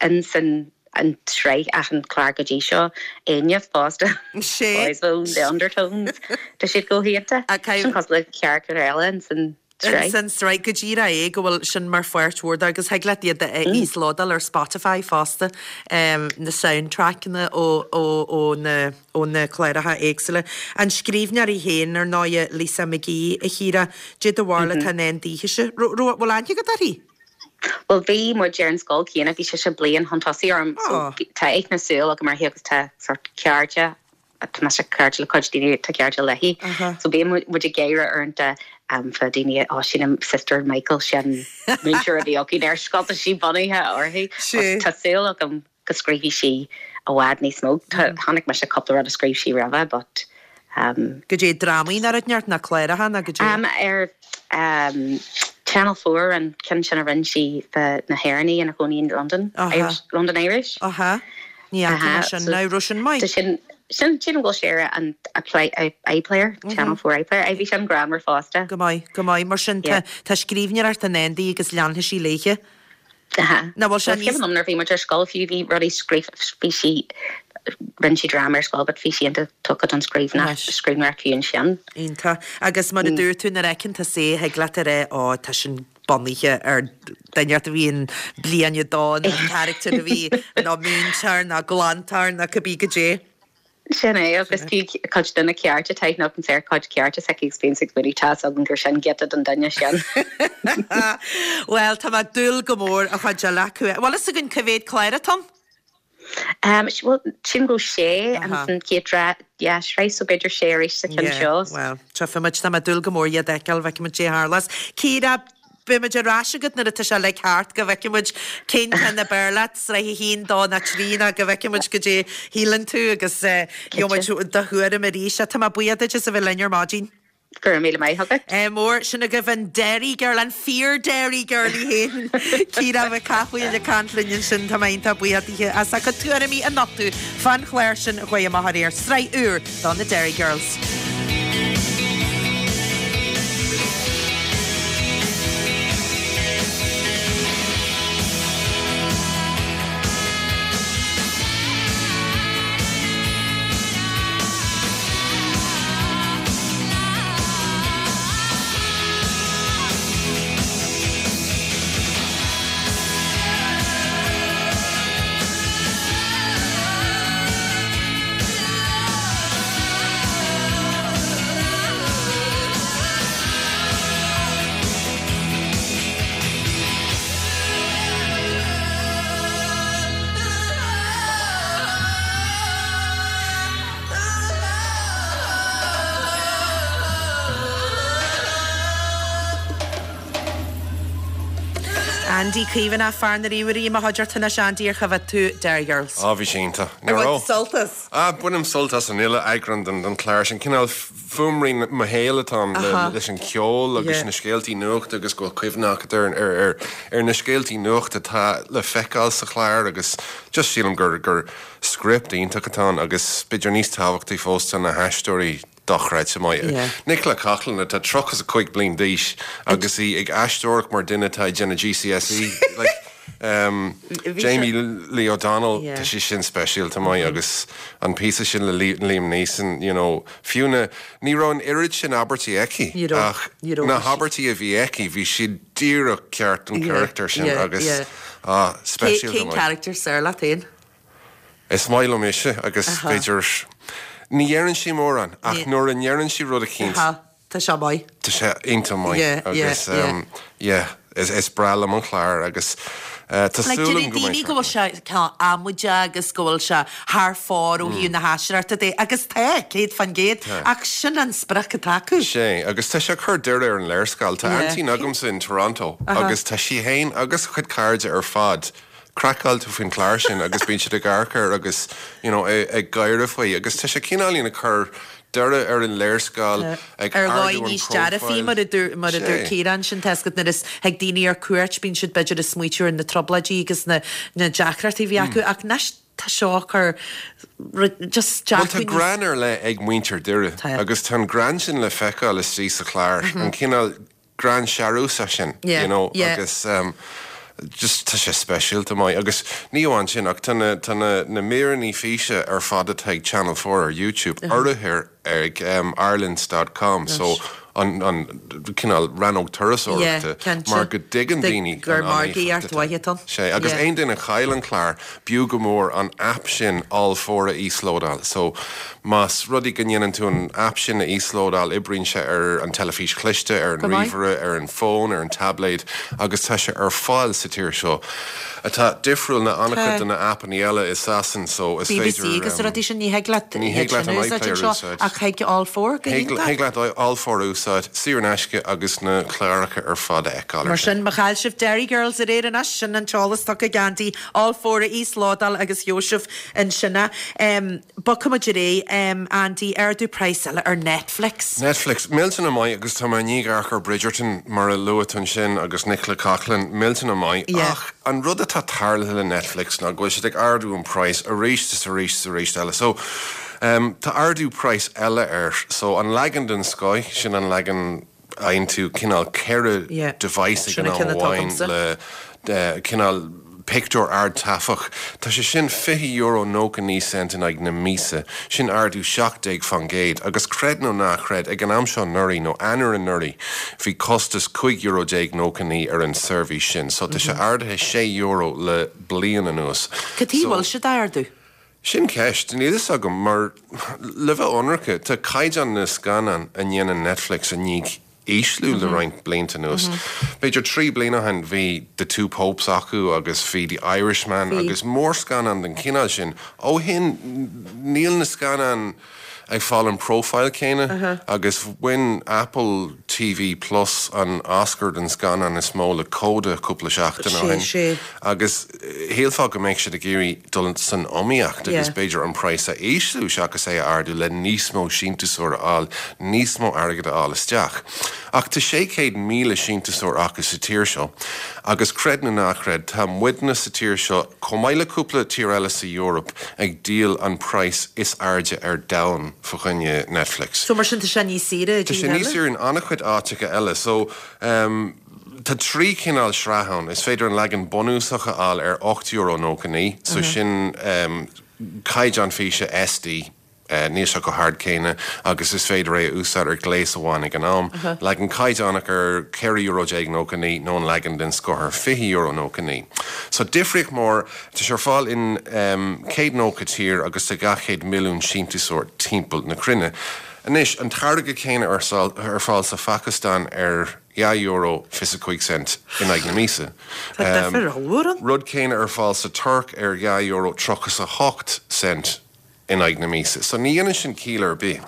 Speaker 8: in san an tsraith achan chlár go dtí seo Enya fosta.
Speaker 1: Sé.
Speaker 8: Boyzone, the Undertones Tá siad go hiontach
Speaker 1: A cai-
Speaker 8: Sin cosúil le carachtar eile in san tsraith.
Speaker 1: San sraith go díreach é go bhfuil sin mar pháirt mhór agus thig leat iad a íoslódáil ar Spotify fosta um, na soundtrackanna ó, ó, ó na, ó na cláracha éagsúla. An scríbhneoir í féin ar ndóigh Lisa McGee a Chiara dé do bharúil atá in ann daoithe. Bhfuil aithne agat uirthi?
Speaker 8: Well bhí muid ar an scoil céanna bhí sé sé bliain chun tosaigh orm so
Speaker 1: Oh.
Speaker 8: bhí- tá aithne súl agam uirthi agus tá sort ceirde tá sé ceirde le cuid daoine tá ceirde léi.
Speaker 1: Aha.
Speaker 8: So bí muid ag gáire uaireanta um, fá daoine á sin an sister Michael sin múinteoir a bhí againn ar scoil tá sí bunaithe uirthi.
Speaker 1: Sí.
Speaker 8: Tá súil agam go scríobfaidh sí i bhfad níos mó. Tá- Tháinig me se cúpla rud a scríobh sí roimhe, but um,
Speaker 1: Go dé drámaí ar neart na cláracha na go dé.
Speaker 8: um, ar um, Channel Four an ceann sin a rinne sí fá na hÉireannaigh ina gcónaí in London,
Speaker 1: Aha.
Speaker 8: Irish, London Irish.
Speaker 1: Aha. Ní
Speaker 8: Aha,
Speaker 1: sin
Speaker 8: so-
Speaker 1: ná ro sin maith.
Speaker 8: Tá sin sin sin bhfuil sé an a play a iPlayer Channel Four iPlayer a bhí sin greannmhar fosta.
Speaker 1: Go maith go maith mar sin
Speaker 8: Yeah.
Speaker 1: tá scríbhneoireacht in ann di agus leanfaidh sí léi.
Speaker 8: Aha.
Speaker 1: Na bhfuil sé
Speaker 8: Well,
Speaker 1: níos-
Speaker 8: Cim bhí muid ar scoil fiú bhí rudaí scríofa bhí sí rinne sí dráma ar scoil, but bhí sí tugtha don
Speaker 1: Anois.
Speaker 8: scríbhneoireacht fiú ansin.
Speaker 1: Iontach agus mar a dúirt tú nuair a fheiceann tú é thig leat a rá á tá sin bunaithe ar duine a bhí in bliain a dó an character a bhí ná múinteoir ná glantóir ná cibé go dé.
Speaker 8: Sin é agus tú cuid de na cearta taitn an sé cuid cearta se experience ag buí tá an gur sin giota don duine sin.
Speaker 1: Well tá mé ag dúil go mór a chuid eile acu. Bhfuil fhios againn cá mhéad clár atá ann?
Speaker 8: Um, well, sin go sé
Speaker 1: Aha.
Speaker 8: an céadra sraith so b'fhéidir sé arís sa cheann seo.
Speaker 1: Well, tchífimid tá mé ag dúil go mór iad a fheiceáil feicfimid cé tharlós. Ciara beimid ar ais agat nuair atá sé le thart go bhfeicfimid cén ceann ab fhearr leat sraith a haon dó nó trí ná go bhfeicfimid go dé shíleann tú agus gheobhaimid do thuairim arís tá mé buíoch duit as a bheith linn ar maidin.
Speaker 8: Gur míle maith agat.
Speaker 1: Eh, mór sin agaibh an Derry Girl an fíor Derry Girl í féin. Ciara Mhic Cathmhaoil ag caint linn ansin tá mé iontach buíoch di as a cuid tuairimí a nochtadh fán chlár sin a chuaigh amach aréir sraith úr do na Derry Girls. Andy Caomhánach, fear na ríomhairí, mo chuid ort anois Andy ar choimhéad tú Derry Girls.
Speaker 9: Á bhí sé iontach.
Speaker 1: Ar bhain tú sult as?
Speaker 9: Ah, bainim sult as an uile eagrán den den chlár sin. Cineál fuaimrian mo shaoil atá ann le leis an cheol agus na scéaltaí nuachta agus go bhfuil cuimhne agat ar ar ar ar na scéaltaí nuachta atá le feiceáil sa chlár agus just sílim gur gur script iontach atá ann agus b'fhéidir níos tábhachtaí fós tá na haisteoirí dochreidte maith.
Speaker 1: Yeah.
Speaker 9: Nicola Coughlan atá tríocha is a cúig bliain d'aois agus í ag aisteoireacht mar duine atá ag déanamh GCSE. Like, um, Jamie Lee O'Donnell
Speaker 1: Yeah.
Speaker 9: tá sé sin speisialta maith agus an píosa sin le Liam Neeson, you know, fiú na ní raibh an oiread sin abairtí aici
Speaker 1: Ní raibh,
Speaker 9: ach
Speaker 1: ní raibh.
Speaker 9: na habairtí a bhí aici bhí siad díreach ceart don
Speaker 1: Yeah,
Speaker 9: charachtar sin
Speaker 1: yeah,
Speaker 9: agus
Speaker 1: yeah.
Speaker 9: ah,
Speaker 1: Cé
Speaker 9: speisialta
Speaker 1: cén
Speaker 9: maith.
Speaker 1: charachtar is fearr leat féin?
Speaker 9: Is maith liom ise agus
Speaker 1: Aha.
Speaker 9: b'fhéidir ní deireann sí mórán ach
Speaker 1: Ní-
Speaker 9: nuair a ndeireann sí rud eicínt
Speaker 1: Aha, tá sé maith.
Speaker 9: tá sé iontach maith
Speaker 1: Yeah, yeah,
Speaker 9: agus
Speaker 1: yeah.
Speaker 9: um, yeah, is, is breá liom an chlár agus uh, tá
Speaker 1: Like
Speaker 9: súil
Speaker 1: deireann
Speaker 9: go
Speaker 1: daoine
Speaker 9: mbeidh
Speaker 1: go bhfuil sé cineál amaideach agus go bhfuil sé thar fóir ó thaobh na haisteoireachta de agus tá céad faoin gcéad
Speaker 9: Tá.
Speaker 1: ach sin an sprioc atá acu.
Speaker 9: Sé agus tá sé ag cur Doire ar an léarscáil Tá
Speaker 1: Yeah.
Speaker 9: aintín agamsa in Toronto
Speaker 1: Aha.
Speaker 9: agus tá sí féin agus a cuid cairde ar fad craiceáilte faoin chlár sin agus bíonn siad ag amharc air agus you know, ag ag gáire faoi agus tá sé cineáilín ag cur Doire ar an léarscáil ag
Speaker 1: Ar
Speaker 9: ardú
Speaker 1: dhóigh
Speaker 9: an
Speaker 1: níos dearfaí
Speaker 9: profile.
Speaker 1: mar a dúirt mar a dúirt
Speaker 9: Sé.
Speaker 1: Ciarán sin tesgat nuair is ag daoine ar cuairt bíonn siad b'fhéidir ag smaoitiú ar na trioblóidí agus na na deacrachtaí a bhí acu ach anois tá seo ag cur just
Speaker 9: Well tá
Speaker 1: dearcadh níos-
Speaker 9: greann ar leith ag muintir Doire
Speaker 1: Tá.
Speaker 9: agus tá an greann sin le feiceáil istigh sa chlár an cineál greann searúsach sin
Speaker 1: Yeah,
Speaker 9: you know,
Speaker 1: yeah.
Speaker 9: agus um, just tá sé speisialta maith agus ní amháin sin ach tá na tá na na míreanna físe ar fad atá ag Channel Four ar YouTube urraithe ag um, Ireland.com so an an cineál rannóg turasóireachta
Speaker 1: cinnte.
Speaker 9: mar go dtuigeann
Speaker 1: De-
Speaker 9: daoine
Speaker 1: gur
Speaker 9: an
Speaker 1: margaíocht
Speaker 9: an-éifeacht
Speaker 1: mhaith atá ann.
Speaker 9: Sé agus
Speaker 1: Yeah.
Speaker 9: aon duine a chaill an clár b'fhiú go mór an app sin All Four a íoslódáil. So más rud é go ndéanann tú an app sin a íoslódáil oibríonn sé ar an teilifís chliste, ar an
Speaker 1: Go maith.
Speaker 9: ríomhaire, ar an fón, ar an tablet, agus tá sé ar fáil sa tír seo. Atá difriúil na an-chuid
Speaker 1: Tá.
Speaker 9: de na appanna eile i Sasain so is
Speaker 1: BBC
Speaker 9: féidir
Speaker 1: agus
Speaker 9: um,
Speaker 1: rudaí sin ní thig leat
Speaker 9: ní thig leat an
Speaker 1: sin úsáid
Speaker 9: iPlayer
Speaker 1: anseo,
Speaker 9: úsáid.
Speaker 1: ach thig All Four go
Speaker 9: Thig
Speaker 1: hiontach.
Speaker 9: thig leat All Four úsáid saor in aisce agus na cláracha ar fad a fheiceáil.
Speaker 1: Mar sin má chaill sibh Derry Girls aréir anois sin an t-eolas tugtha ag Andy All Four a íoslódáil agus Joseph ansin. Um, Bogfaimid ar aghaidh um, Andy ardú praghas eile ar Netflix.
Speaker 9: Netflix millteanach maith agus tá mé ní ar Bridgerton mar a luaigh tú ansin agus Nicola Coughlan millteanach maith
Speaker 1: Yeah.
Speaker 9: ach an rud atá tarlaithe le Netflix ná go bhfuil siad ag ardú an praghas arís is arís is arís eile. So um, tá ardú praghas eile air, so an leagan den scoth sin an leagan aon tú cineál ceithre
Speaker 1: Yeah.
Speaker 9: device ag
Speaker 1: Sin
Speaker 9: an
Speaker 1: an ceann
Speaker 9: am
Speaker 1: atá
Speaker 9: amháin
Speaker 1: agamsa.
Speaker 9: le uh, cineál pictiúr ardtaifeach. Tá sé sin fiche euro nócha naoi cent in aghaidh na míosa, sin ardú seacht déag faoin gcéad, agus creid nó ná creid ag an am seo anuraidh nó Eanáir anuraidh bhí costas cúig euro déag nócha naoi ar an seirbhís sin, so tá sé ardaithe sé euro le bliain anuas.
Speaker 1: Cad chuige
Speaker 9: So-
Speaker 1: bhfuil siad ardú?
Speaker 9: Sin ceist, níl fhios agam mar le bheith ionraic tá caighdeán na scannán a ndéanann Netflix i ndiaidh ísliú le roinnt blianta anuas. B'fhéidir trí bliana ó shin bhí The Two Popes acu agus bhí The Irishman
Speaker 1: Bhí.
Speaker 9: agus mórscannán den chineál sin. Ó shin níl na scannáin ag fáil an profile céanna agus bhain Apple TV Plus an Oscar den scannán is mó le Coda cúpla seachtain ó
Speaker 1: Sé,
Speaker 9: shin.
Speaker 1: sé.
Speaker 9: Agus eh, shílfeá go mbeadh siad ag iarraidh dul san iomaíocht agus
Speaker 1: Yeah.
Speaker 9: b'fhéidir an praghas a ísliú seachas é a ardú le níos mó síntiúsóir a fháil, níos mó airgead a fháil isteach. Ach tá sé chéad míle síntiúsóir acu sa tír seo, agus creid nó ná creid tá muidne sa tír seo chomh maith le cúpla tír eile sa Eoraip ag díol an praghas is airde ar domhan fá choinne Netflix.
Speaker 1: So mar sin tá sé níos saoire
Speaker 9: Tá sé níos saoire in an-chuid áiteacha eile, so um, tá trí chineál sraith ann is féidir an leagan bunúsach a fháil ar ocht euro nócha naoi, so sin um, caighdeán físe SD. Uh, níl sé chomh hard céanna agus is féidir é a úsáid ar ghléas amháin ag an am. Leagan caighdeánach ar ceithre euro déag nócha naoi nó an leagan den scoth ar fiche euro nócha naoi. So difríocht mór tá sé ar fáil in um, céad nócha tír agus tá dhá chéad milliún síntiúsóir timpeall na cruinne. Anois an táirge céanna ar sal- ar fáil sa Phacastáin ar dhá euro fiche cúig cent in aghaidh na míosa.
Speaker 1: Tá difear ollmhór ann.
Speaker 9: Rud céanna ar fáil sa Tuirc ar dhá euro tríocha a hocht cent in aghaidh na míosa. So ní dhéanann sin ciall ar bith.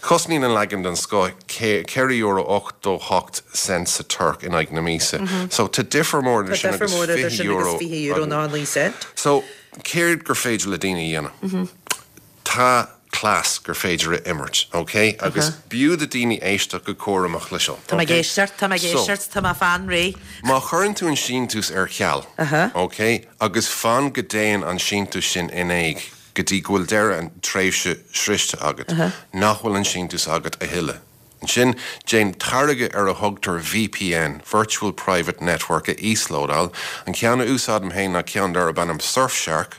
Speaker 9: Cosnaíonn an leagan den scoth ceithre euro ochtó hocht cent sa Tuirc in aghaidh na míosa. So tá difear mór idir sin agus fiche euro.
Speaker 1: fiche euro ná naoi cent.
Speaker 9: So céard gur féidir le daoine a dhéanamh? Tá cleas gur féidir a imirt, ok? Agus b'fhiú do daoine éisteacht go cúramach le seo.
Speaker 1: Tá mé ag éisteacht, tá mé ag éisteacht, tá mé fan réidh.
Speaker 9: Má chuireann tú an síntiús ar ceal, ok, agus fan go dtéann an síntiús sin in éag go dtí go bhfuil deireadh an tréimhse sroichte agat, nach bhfuil an síntiús agat a thuilleadh. Ansin, déan táirge ar a thugtar VPN, Virtual Private Network, a íoslódáil. An ceann a úsáidim féin ná ceann darb ainm Surfshark.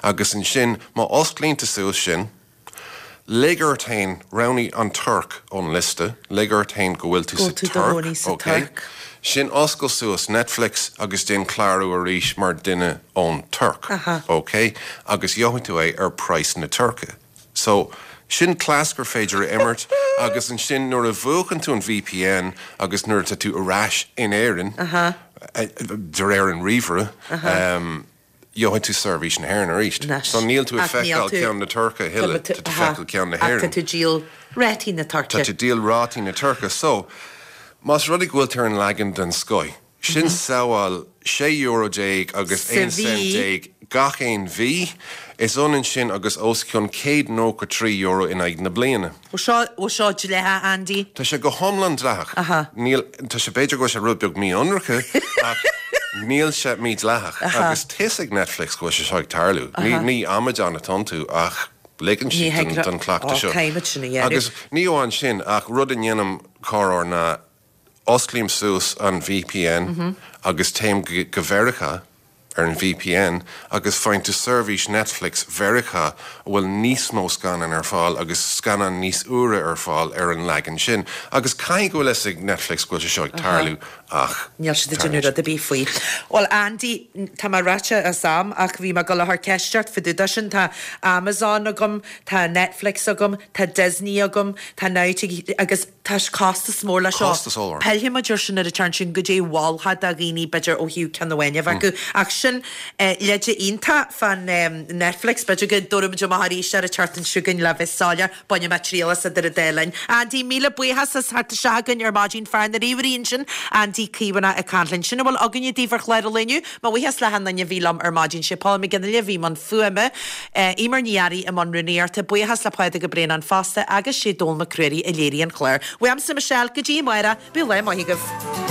Speaker 9: Agus ansin, má osclaíonn tú suas sin, lig ort féin, roghnaigh an Tuirc ón liosta, lig ort féin go bhfuil tú sa Tuirc, ok? Sin oscail suas Netflix agus déan clárú arís mar duine ón Tuirc, ok? Agus gheobhaidh tú é ar praghas na Tuirce. So, sin cleas gur féidir a imirt agus ansin nuair a mhúchann tú an VPN agus nuair atá tú ar ais in Éirinn, de réir an ríomhaire, gheobhaidh tú seirbhís na hÉireann arís. So níl tú ag feiceáil ceann na Tuirce a thuilleadh, tá tú ag feiceáil ceann na hÉireann.
Speaker 1: Ach tá tú ag díol rátaí na Tuirce.
Speaker 9: Tá tú ag díol rátaí na Tuirce. So, más rud é go bhfuil tú ar an leagan den scoith, sin sabháil sé euro déag agus aon cent déag gach aon mhí, is ionann sin agus os cionn céad nócha trí euro in aghaidh na bliana.
Speaker 1: Bhfuil seo, bhfuil seo dleathach, Andy?
Speaker 9: Tá sé go hiomlán dleathach. Níl, tá sé, b'fhéidir go bhfuil sé rud beag mí-ionraice ach níl sé mídhleathach. Agus tá fhios ag Netflix go bhfuil sé seo ag tarlú. Ní, ní amadáin atá iontu ach ligeann siad don, don chleachtadh seo.
Speaker 1: Caithfimid sin a dhéanamh.
Speaker 9: Agus ní amháin sin ach rud a ndéanaim corruair ná osclaím suas an VPN agus téim go, go Mheiriceá ar an VPN agus faigheann tú seirbhís Netflix Mheiriceá a bhfuil níos mó scannán ar fáil agus scannáin níos úire ar fáil ar an leagan sin. Agus caithfidh go bhfuil fhios ag Netflix go bhfuil sé seo ag tarlú ach
Speaker 1: Níl siad ag déanamh rud ar bith faoi. Bhuel Andy, tá mé ráite as am ach bhí mé ag dul a chur ceist ort fá dtaobh de sin. Tá Amazon agam, tá Netflix agam, tá Disney agam, tá Now TV agus tá costas mór leis seo.
Speaker 9: Costas ollmhór.
Speaker 1: Pillfidh muid air sin ar an tseachtain sin goidé mholfá do dhaoine b'fhéidir ó thaobh ceann amháin a bheith acu. Ach sin leide iontach fán Netflix. B'fhéidir go dtabharfaidh muid amach arís ar an tseachtain seo chugainn le bheith soiléir. Bainfidh mé triail as idir an dá linn. Andy, míle buíochas as theacht isteach chugainn ar maidin. Fear na ríomhairí ansin, Andy Caomhánach ag caint linn. Sin a bhfuil againne daoibh ar chlár an lae inniu. Mo bhuíochas le hachan duine a bhí liom ar maidin. Sé Paul McGinley a bhí i mbun fuaime, Eimear Ní Fhearraigh i mbun rúnaíochta. Buíochas le Pádraig Ó Braonáin fosta agus sé Dónall Mac Ruairí a léirigh an clár. Uaimse Michelle, go dtí amárach, bíodh lá maith agaibh.